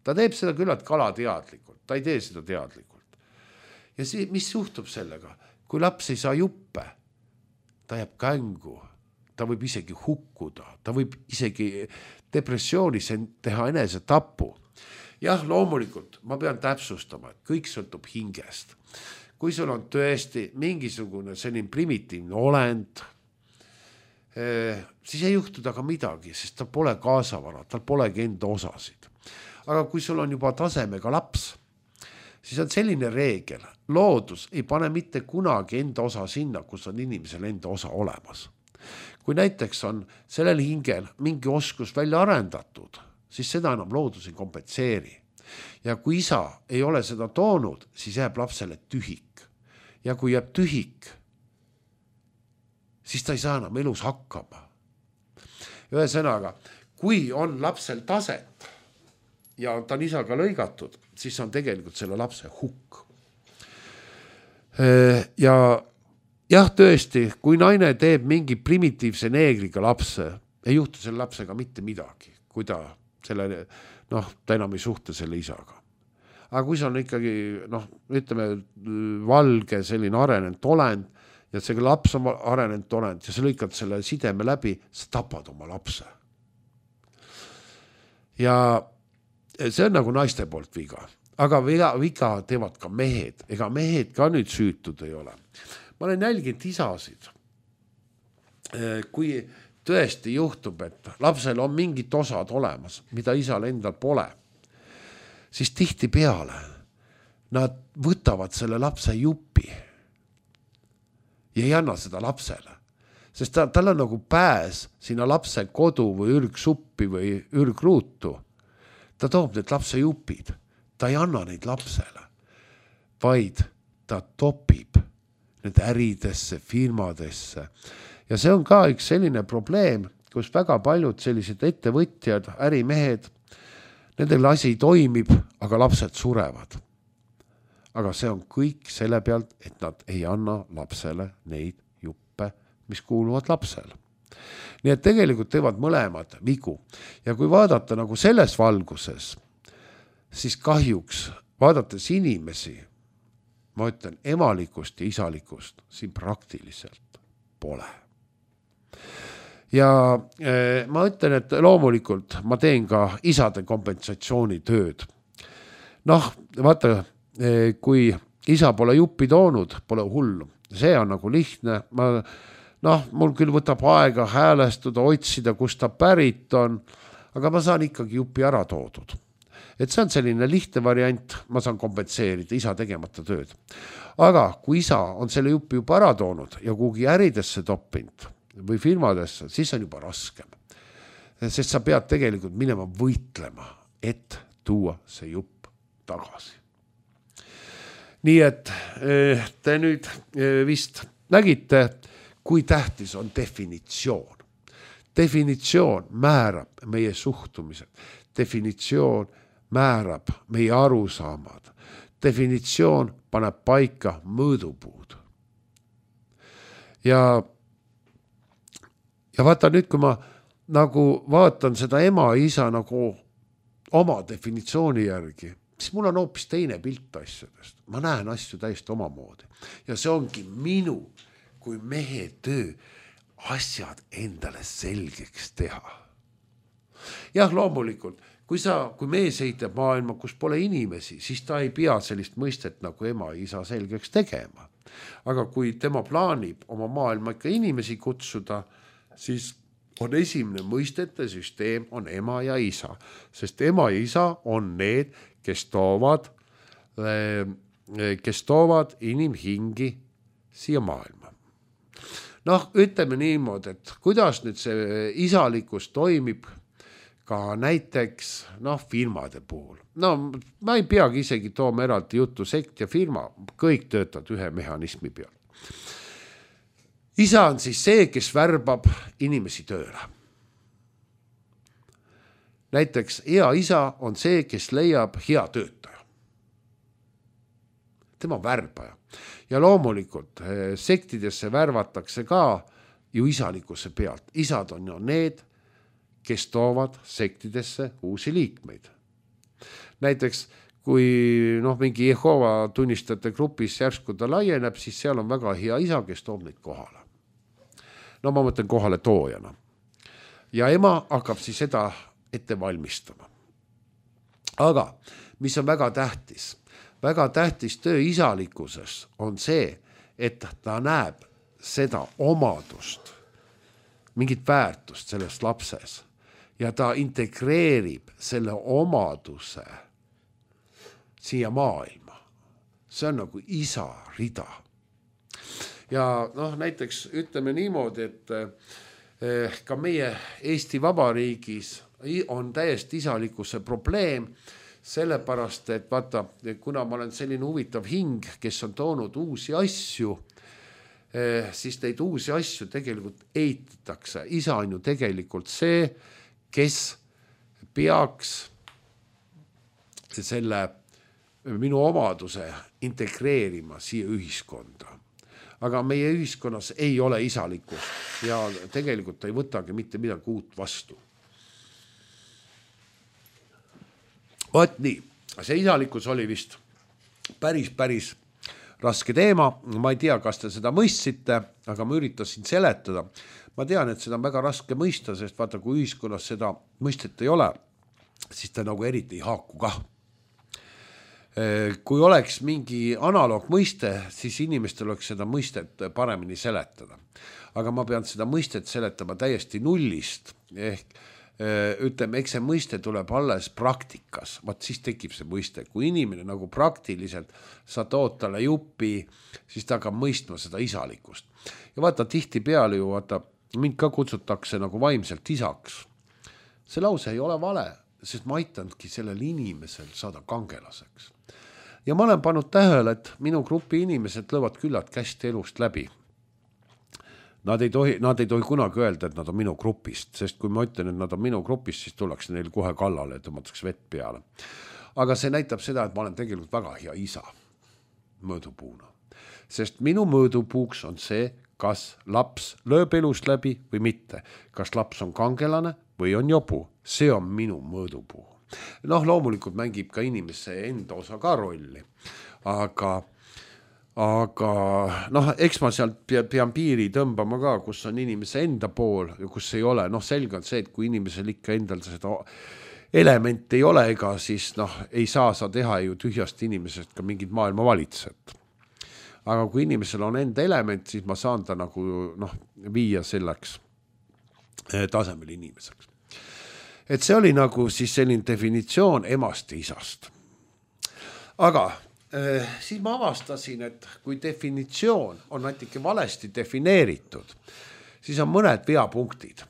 Ta teeb seda küllalt kalateadlikult, ta ei tee seda teadlikult. Ja mis juhtub sellega? Kui laps ei saa juppe, ta jääb kängu, ta võib isegi hukkuda, ta võib isegi depressioonis teha enese tapu. Jah, loomulikult, ma pean täpsustama, et kõik sõltub hingest. Kui sul on tõesti mingisugune selline primitiivne olend, siis ei juhtu taga midagi, sest ta pole kaasavara, tal polegi enda osasid. Aga kui sul on juba tasemega laps, siis on selline reegel. Loodus ei pane mitte kunagi enda osa sinna, kus on inimesel enda osa olemas. Kui näiteks on sellel hingel mingi oskus välja arendatud, siis seda enam loodus ei kompenseeri. Ja kui isa ei ole seda toonud, siis jääb lapsele tühik. Ja kui jääb tühik, siis ta ei saa enam elus hakkama. Ühesõnaga, kui on lapsel taset ja ta on isaga lõigatud, siis on tegelikult selle lapse hukk. Ja jah, tõesti, kui naine teeb mingi primitiivse neegriga lapse, ei juhtu selle lapsega mitte midagi, kui ta enam ei suhte selle isaga. Aga kui see on ikkagi, ütleme, valge, selline arenenud olend ja see laps on arenenud olend ja sa lõikad selle sideme läbi, sa tapad oma lapse. Ja see on nagu naiste poolt viga. Aga viga teevad ka mehed. Ega mehed ka nüüd süütud ei ole. Ma olen jälginud isasid. Kui tõesti juhtub, et lapsel on mingid osad olemas, mida isal endal pole, siis tihti peale nad võtavad selle lapse jupi ja ei anna seda lapsele. Sest tal on nagu pääs sinna lapse kodu või ürgsuppi või ürgruutu. Ta toob need lapse jupid. Ta ei anna neid lapsele, vaid ta topib need äridesse, firmadesse. Ja see on ka üks selline probleem, kus väga paljud sellised ettevõtjad, ärimehed, nendel asi toimib, aga lapsed surevad. Aga see on kõik selle pealt, et nad ei anna lapsele neid juppe, mis kuuluvad lapsele. Nii et tegelikult teevad mõlemad vigu. Ja kui vaadata nagu selles valguses, siis kahjuks vaadates inimesi, ma ütlen, emalikust ja isalikust siin praktiliselt pole. Ja ma ütlen, et loomulikult ma teen ka isade kompensatsiooni tööd. Vaata, kui isa pole juppi toonud, pole hullu. See on nagu lihtne. Mul küll võtab aega häälestuda, otsida, kus ta pärit on, aga ma saan ikkagi jupi ära toodud. Et see on selline lihtne variant, ma saan kompenseerida isa tegemata tööd. Aga kui isa on selle jupi juba ära toonud ja kuhugi äridesse toppinud või firmadesse, siis on juba raskem. Sest sa pead tegelikult minema võitlema, et tuua see jupp tagasi. Nii et te nüüd vist nägite, kui tähtis on definitsioon. Definitsioon määrab meie suhtumised. Definitsioon määrab meie arusaamad. Definitsioon paneb paika mõõdupuud. Ja vaata nüüd, kui ma nagu vaatan seda ema ja isa nagu oma definitsiooni järgi, siis mul on hoopis teine pilt asjadest. Ma näen asju täiesti omamoodi. Ja see ongi minu kui mehe töö asjad endale selgeks teha. Jah, loomulikult, kui mees heitab maailma, kus pole inimesi, siis ta ei pea sellist mõistet nagu ema ja isa selgeks tegema. Aga kui tema plaanib oma maailma ikka inimesi kutsuda, siis on esimene mõistete süsteem on ema ja isa. Sest ema ja isa on need, kes toovad inimhingi siia maailma. Ütleme niimoodi, et kuidas nüüd see isalikkus toimib ka näiteks firmade puhul. Ma ei peagi isegi tooma eraldi juttu sekt ja firma, kõik töötavad ühe mehhanismi peal. Isa on siis see, kes värbab inimesi tööle. Näiteks hea isa on see, kes leiab hea töötaja. Tema värbaja. Ja loomulikult sektidesse värvatakse ka ju isalikkuse pealt. Isad on ju need, kes toovad sektidesse uusi liikmeid. Näiteks kui mingi Jehova tunnistajate grupis järsku ta laieneb, siis seal on väga hea isa, kes toob neid kohale. Ma mõtlen kohale toojana. Ja ema hakkab siis seda ette valmistama. Aga mis on väga tähtis? Väga tähtis töö isalikkuses on see, et ta näeb seda omadust, mingit väärtust selles lapses ja ta integreerib selle omaduse siia maailma. See on nagu isa rida. Ja näiteks ütleme niimoodi, ka meie Eesti Vabariigis on täiesti isalikkuse probleem, sellepärast, et vaata, kuna ma olen selline huvitav hing, kes on toonud uusi asju, siis neid uusi asju tegelikult eitatakse. Isa on ju tegelikult see, kes peaks selle minu omaduse integreerima siia ühiskonda. Aga meie ühiskonnas ei ole isalikkust ja tegelikult ei võtagi mitte midagi uut vastu. Võt nii, see isalikkus oli vist päris raske teema. Ma ei tea, kas te seda mõistsite, aga ma üritasin seletada. Ma tean, et seda on väga raske mõista, sest vaata, kui ühiskonnas seda mõistet ei ole, siis ta nagu eriti ei haaku kah. Kui oleks mingi analoog mõiste, siis inimestel oleks seda mõistet paremini seletada. Aga ma pean seda mõistet seletama täiesti nullist, ehk ütleme, eks see mõiste tuleb alles praktikas, vaat siis tekib see mõiste. Kui inimene nagu praktiliselt sa tood talle jupi, siis ta hakkab mõistma seda isalikkust. Ja vaata, tihti peale ju, vaata, mind ka kutsutakse nagu vaimselt isaks. See lause ei ole vale, sest ma aitanudki sellel inimesel saada kangelaseks. Ja ma olen pannud tähele, et minu grupi inimesed lõvad küllalt kästi elust läbi. Nad ei tohi kunagi öelda, et nad on minu grupist, sest kui ma ütlen, et nad on minu grupist, siis tullakse neil kohe kallale ja tõmmatakse vett peale. Aga see näitab seda, et ma olen tegelikult väga hea isa mõõdupuuna. Sest minu mõõdupuuks on see, kas laps lööb elust läbi või mitte. Kas laps on kangelane või on jobu. See on minu mõõdupuu. Noh, loomulikult mängib ka inimese enda osa ka rolli. Aga noh, eks ma sealt pean piiri tõmbama ka, kus on inimese enda pool ja kus ei ole. Noh, selge on see, et kui inimesel ikka endal seda elementi ei ole, ega siis noh, ei saa sa teha ju tühjast inimesest ka mingid maailma valitsejat. Aga kui inimesel on enda element, siis ma saan ta nagu viia selleks tasemel inimeseks. Et see oli nagu siis selline definitsioon emast ja isast. Aga siis ma avastasin, et kui definitsioon on natuke valesti defineeritud, siis on mõned veapunktid.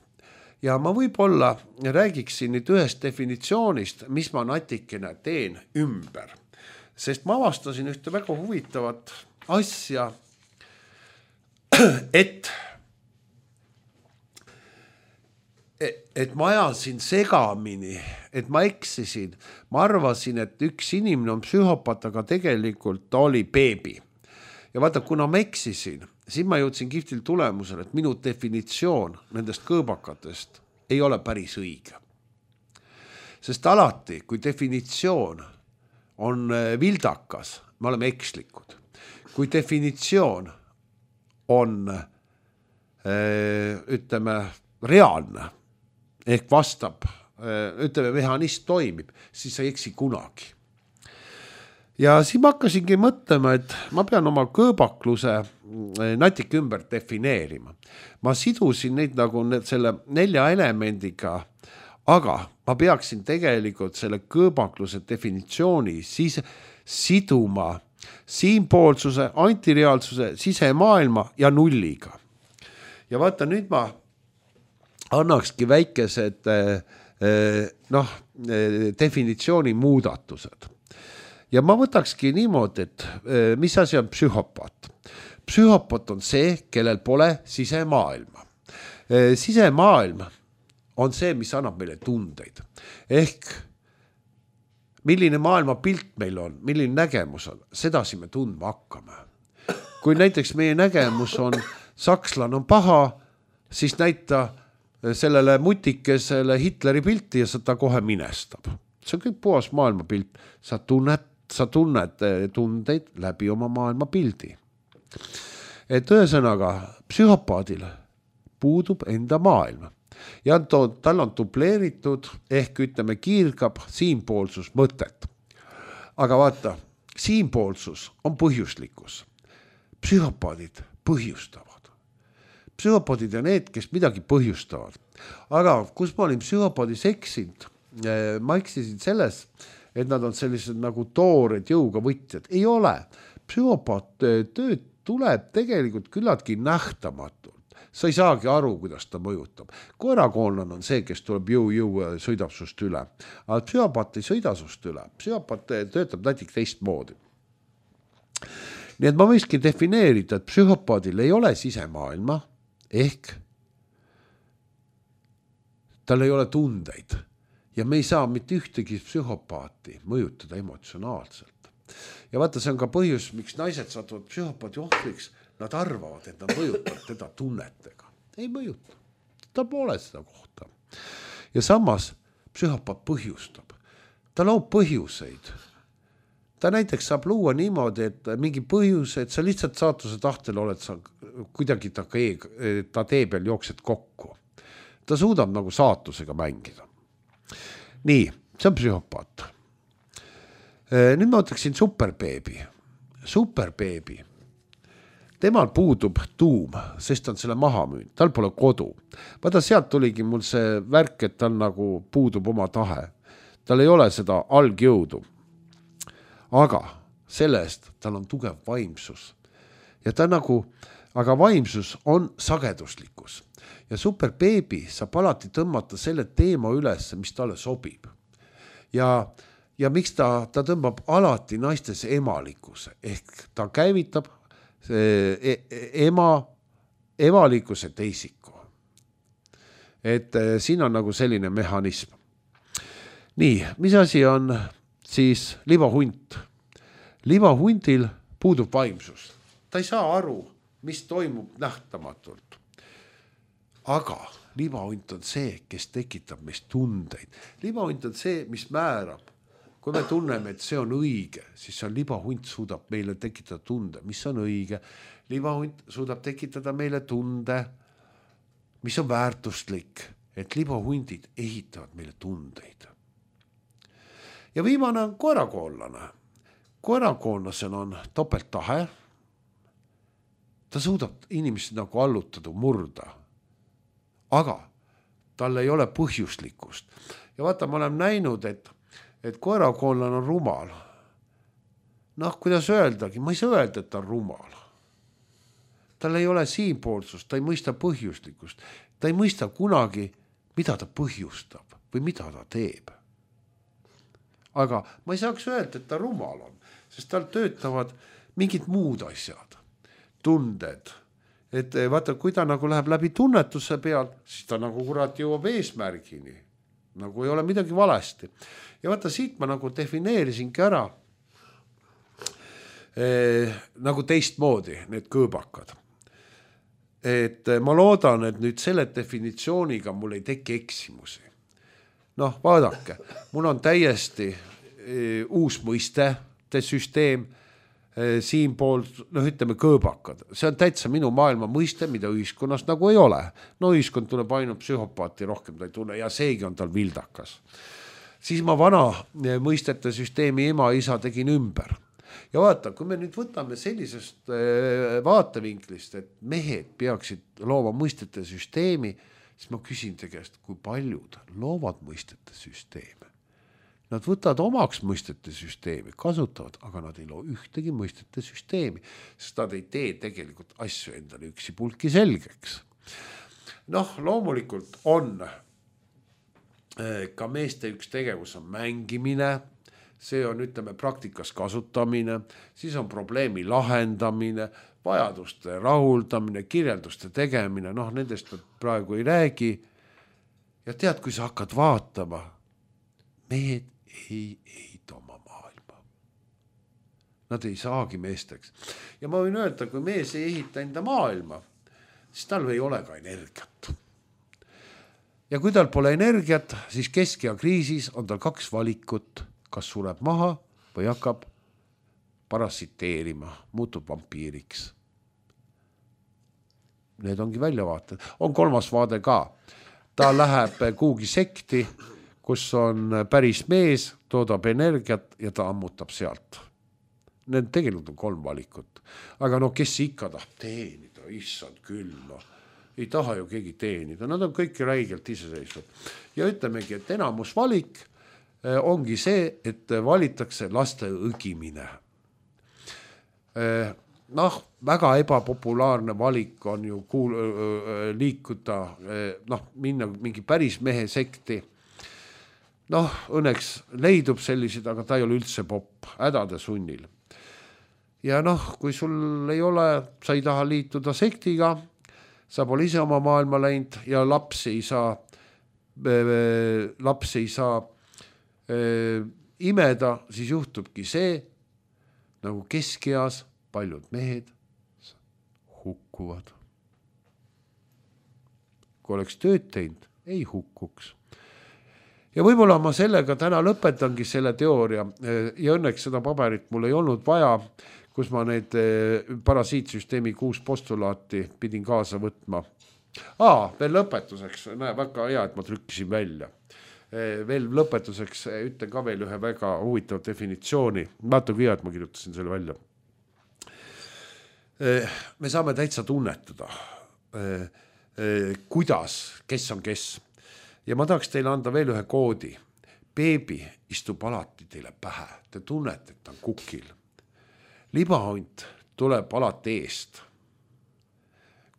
Ja ma võib-olla räägiksin nüüd ühest definitsioonist, mis ma natikene teen ümber. Sest ma avastasin ühte väga huvitavat asja, et ma ajasin segamini, et ma eksisin. Ma arvasin, et üks inimene on psühhopaat, aga tegelikult ta oli beebi. Ja vaata, kuna ma eksisin, siis ma jõudsin kihvtil tulemusele, et minu definitsioon nendest kõõbakatest ei ole päris õige. Sest alati, kui definitsioon on vildakas, me oleme ekslikud. Kui definitsioon on, ütleme, reaalne, ehk vastab, ütleme, mehhanism toimib, siis sa ei eksi kunagi. Ja siis ma hakkasingi mõtlema, et ma pean oma kõõbakluse natuke ümber defineerima. Ma sidusin neid nagu selle 4 elemendiga, aga ma peaksin tegelikult selle kõõbakluse definitsiooni siis siduma siinpoolsuse, antireaalsuse, sisemaailma ja nulliga. Ja vaata, nüüd ma annakski väikesed definitsiooni muudatused. Ja ma võtakski niimoodi, et mis asi on psühhopaat. Psühhopaat on see, kellel pole sisemaailma. Sisemaailm on see, mis annab meile tundeid. Ehk milline maailma pilt meil on, milline nägemus on, sedasi me tundma hakkame. Kui näiteks meie nägemus on sakslane on paha, siis näita sellele mutikesele Hitleri pilti ja ta kohe minestab. See on kõik puhas maailma pilt. Sa tunned tundeid läbi oma maailma pildi. Et ühesõnaga, psühhopaadil puudub enda maailma. Ja tal on dubleeritud ehk ütleme kiirgab siinpoolsus mõtet. Aga vaata, siinpoolsus on põhjuslikkus. Psühhopaadid põhjustavad. Psühhopaadid on need, kes midagi põhjustavad. Aga kus ma olin psühhopaadis eksinud, ma eksisin selles, et nad on sellised nagu toored jõuga võtjad. Ei ole. Psühhopaat tööd tuleb tegelikult küllaltki nähtamatult. sa ei saagi aru, kuidas ta mõjutab. Koerakoonlane on see, kes tuleb jõu sõidab sust üle. Aga psühhopaat ei sõida sust üle. Psühhopaat töötab näiteks teistmoodi. Nii et ma võikski defineerida, et psühhopaadil ei ole sisemaailma ehk tal ei ole tundeid ja me ei saa mitte ühtegi psühhopaati mõjutada emotsionaalselt. Ja vaata, see on ka põhjus, miks naised satuvad psühhopaadi ohvriks. Nad arvavad, et nad mõjutavad teda tunnetega. Ei mõjuta. Ta pole seda kohta. Ja samas psühhopaat põhjustab. Ta loob põhjuseid. Ta näiteks saab luua niimoodi, et mingi põhjus, et sa lihtsalt saatuse tahtel oled sa kuidagi ta tee peal jooksed kokku. Ta suudab nagu saatusega mängida. Nii, see on psühhopaat. Nüüd ma ütleksin superbeebi. Superbeebi. Temal puudub tuum, sest on selle maha müünud. Tal pole kodu. Vaata, sealt tuligi mul see värk, et tal nagu puudub oma tahe. Tal ei ole seda algjõudu. Aga selle eest tal on tugev vaimsus. Ja ta nagu, aga vaimsus on sageduslikkus. Ja superbeebi saab alati tõmmata selle teema üles, mis talle sobib. Ja miks ta tõmbab alati naistes emalikkuse, ehk ta käivitab emalikkuse teisiku. Et siin on nagu selline mehhanism. Nii, mis asi on siis libahunt? Libahundil puudub vaimsus. Ta ei saa aru, mis toimub nähtamatult. Aga libahunt on see, kes tekitab meist tundeid. Libahunt on see, mis määrab. Kui me tunneme, et see on õige, siis see libahunt suudab meile tekitada tunde, mis on õige. Libahunt suudab tekitada meile tunde, mis on väärtuslik, et libahundid ehitavad meile tundeid. Ja viimane on koerakoonlane. Koerakoonlasel on topelttahe. Ta suudab inimesed nagu allutada, murda. Aga tal ei ole põhjuslikkust. Ja vaata, ma olen näinud, et koerakoonlane on rumal. Noh, kuidas öeldagi, ma ei saa öelda, et ta on rumal. Tal ei ole siinpoolsust, ta ei mõista põhjuslikkust. Ta ei mõista kunagi, mida ta põhjustab või mida ta teeb. Aga ma ei saaks öelda, et ta rumal on, sest tal töötavad mingid muud asjad, tunded. Et vaata, kui ta nagu läheb läbi tunnetuse peal, siis ta nagu kurat jõuab eesmärgini. Nagu ei ole midagi valesti. Ja vaata, siit ma nagu defineerisingi ära nagu teistmoodi need kõõbakad. Et ma loodan, et nüüd selle definitsiooniga mul ei teki eksimusi. Noh, vaadake, mul on täiesti uus mõistete süsteem, siinpool, ütleme kõõbakad. See on täitsa minu maailma mõiste, mida ühiskonnas nagu ei ole. No ühiskond tuleb ainult psühhopaati, rohkem ta ei tunne ja seegi on tal vildakas. Siis ma vana mõistete süsteemi ema ja isa tegin ümber. Ja vaata, kui me nüüd võtame sellisest vaatevinklist, et mehed peaksid looma mõistete süsteemi, siis ma küsin te käest, kui paljud loovad mõistete süsteemi. Nad võtavad omaks mõistete süsteemi, kasutavad, aga nad ei loo ühtegi mõistete süsteemi, sest nad ei tee tegelikult asju endale üksi pulki selgeks. Noh, loomulikult on ka meeste üks tegevus on mängimine, see on, ütleme, praktikas kasutamine, siis on probleemi lahendamine, vajaduste rahuldamine, kirjelduste tegemine, noh, nendest praegu ei räägi. Ja tead, kui sa hakkad vaatama, mehed ei ehita oma maailma. Nad ei saagi meesteks. Ja ma võin öelda, kui mees ei ehita enda maailma, siis tal ei ole ka energiat. Ja kui tal pole energiat, siis keskea kriisis on tal 2 valikut, kas sureb maha või hakkab parasiteerima, muutub vampiiriks. Need ongi väljavaated. On 3. vaade ka. Ta läheb kuhugi sekti, kus on päris mees, toodab energiat ja ta ammutab sealt. Need tegelikult on 3 valikut. Aga no kes ikka tahab teenida, issand küll, no. Ei taha ju keegi teenida, nad on kõik räigelt iseseisvad. Ja ütlemegi, et enamus valik ongi see, et valitakse laste õgimine. väga ebapopulaarne valik on ju liikuda, minna mingi päris mehe sekti. Õnneks leidub sellised, aga ta ei ole üldse popp, hädade sunnil. Ja kui sul ei ole, sa ei taha liituda sektiga, sa pole ise oma maailma läinud ja lapsi ei saa imeda, siis juhtubki see, nagu keskeas paljud mehed hukkuvad. Kui oleks tööd teinud, ei hukkuks. Ja võib-olla ma sellega täna lõpetangi selle teooria ja õnneks seda paberit mul ei olnud vaja, kus ma need parasiitsüsteemi 6 postulaati pidin kaasa võtma. Veel lõpetuseks, väga hea, et ma trükkisin välja. Veel lõpetuseks ütlen ka veel ühe väga huvitav definitsiooni. Vaata kui hea, et ma kirjutasin selle välja. Me saame täitsa tunnetada, kuidas, kes on kes. Ja ma tahaks teile anda veel ühe koodi. Beebi istub alati teile pähe. Te tunnete, et ta on kukil. Libahunt tuleb alati eest.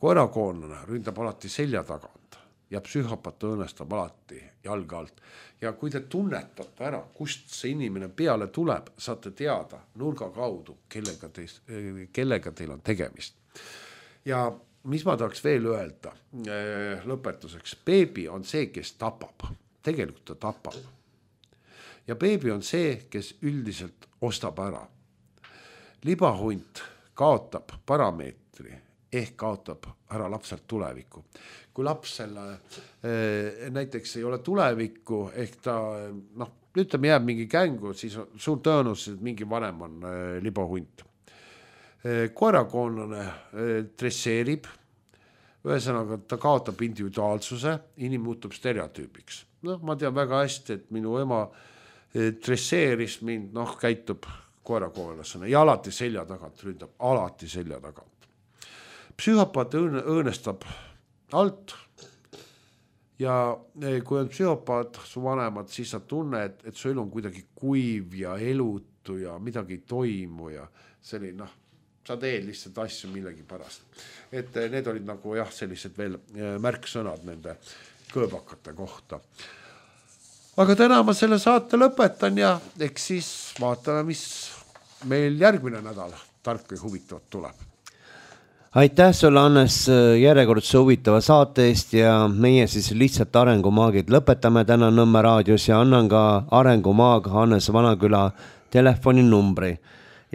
Koerakoonlane ründab alati selja tagant ja psühhopat õõnestab alati jalga alt. Ja kui te tunnetate ära, kust see inimene peale tuleb, saate teada nurga kaudu, kellega teil on tegemist. Ja mis ma tahaks veel öelda lõpetuseks? Beebi on see, kes tapab. Tegelikult ta tapab. Ja beebi on see, kes üldiselt ostab ära. Libahunt kaotab parameetri ehk kaotab ära lapselt tulevikku. Kui lapsel näiteks ei ole tulevikku ehk ta ütleme jääb mingi kängu, siis on suur tõenäosus, et mingi vanem on libahunt. Koerakoonlane dresseerib, ühesõnaga ta kaotab individuaalsuse, inimene muutub stereotüübiks. Ma tean väga hästi, et minu ema dresseeris mind, käitub koerakoonlasena ja alati selja tagant ründab, alati selja tagant. Psühhopaat õõnestab alt ja kui on psühhopaat su vanemad, siis sa tunned, et su elu on kuidagi kuiv ja elutu ja midagi ei toimu ja selline, sa teed lihtsalt asju millegi pärast. Et need olid nagu sellised veel märksõnad nende kõõbakate kohta. Aga täna ma selle saate lõpetan ja eks siis vaatame, mis meil järgmine nädal tark ja huvitavat tuleb. Aitäh sulle, Hannes, järjekordse huvitava saate eest ja meie siis lihtsalt Arengumaagid lõpetame täna Nõmme raadios ja annan ka Arengumaag Hannes Vanaküla telefoninumbri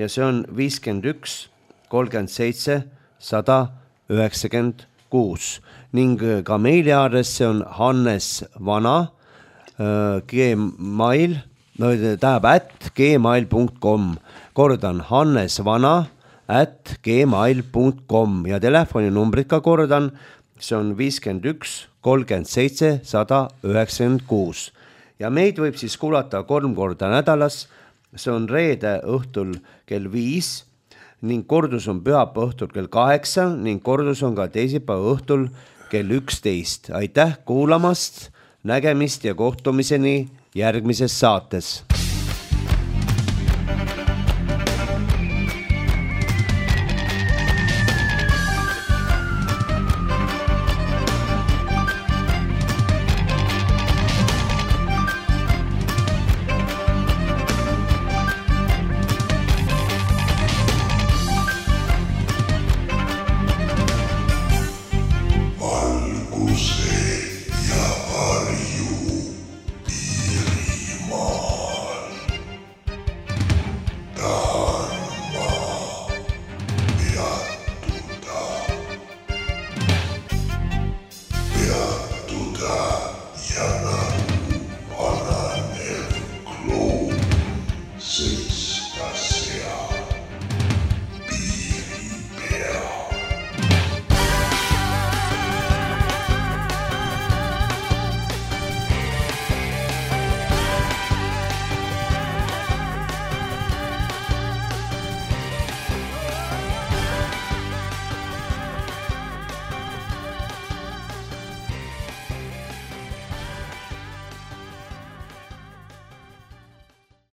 ja see on 51 37 196 ning ka meiliaadress see on hannesvana gmail, @gmail.com. Kordan hannesvana@gmail.com ja telefoninumbrit ka kordan, see on 51 37 196. Ja meid võib siis kuulata 3 korda nädalas, see on reede õhtul kell 5 ning kordus on pühapäeva õhtul kell 8 ning kordus on ka teisipäeva õhtul kell 11. Aitäh kuulamast! Nägemist ja kohtumiseni järgmises saates.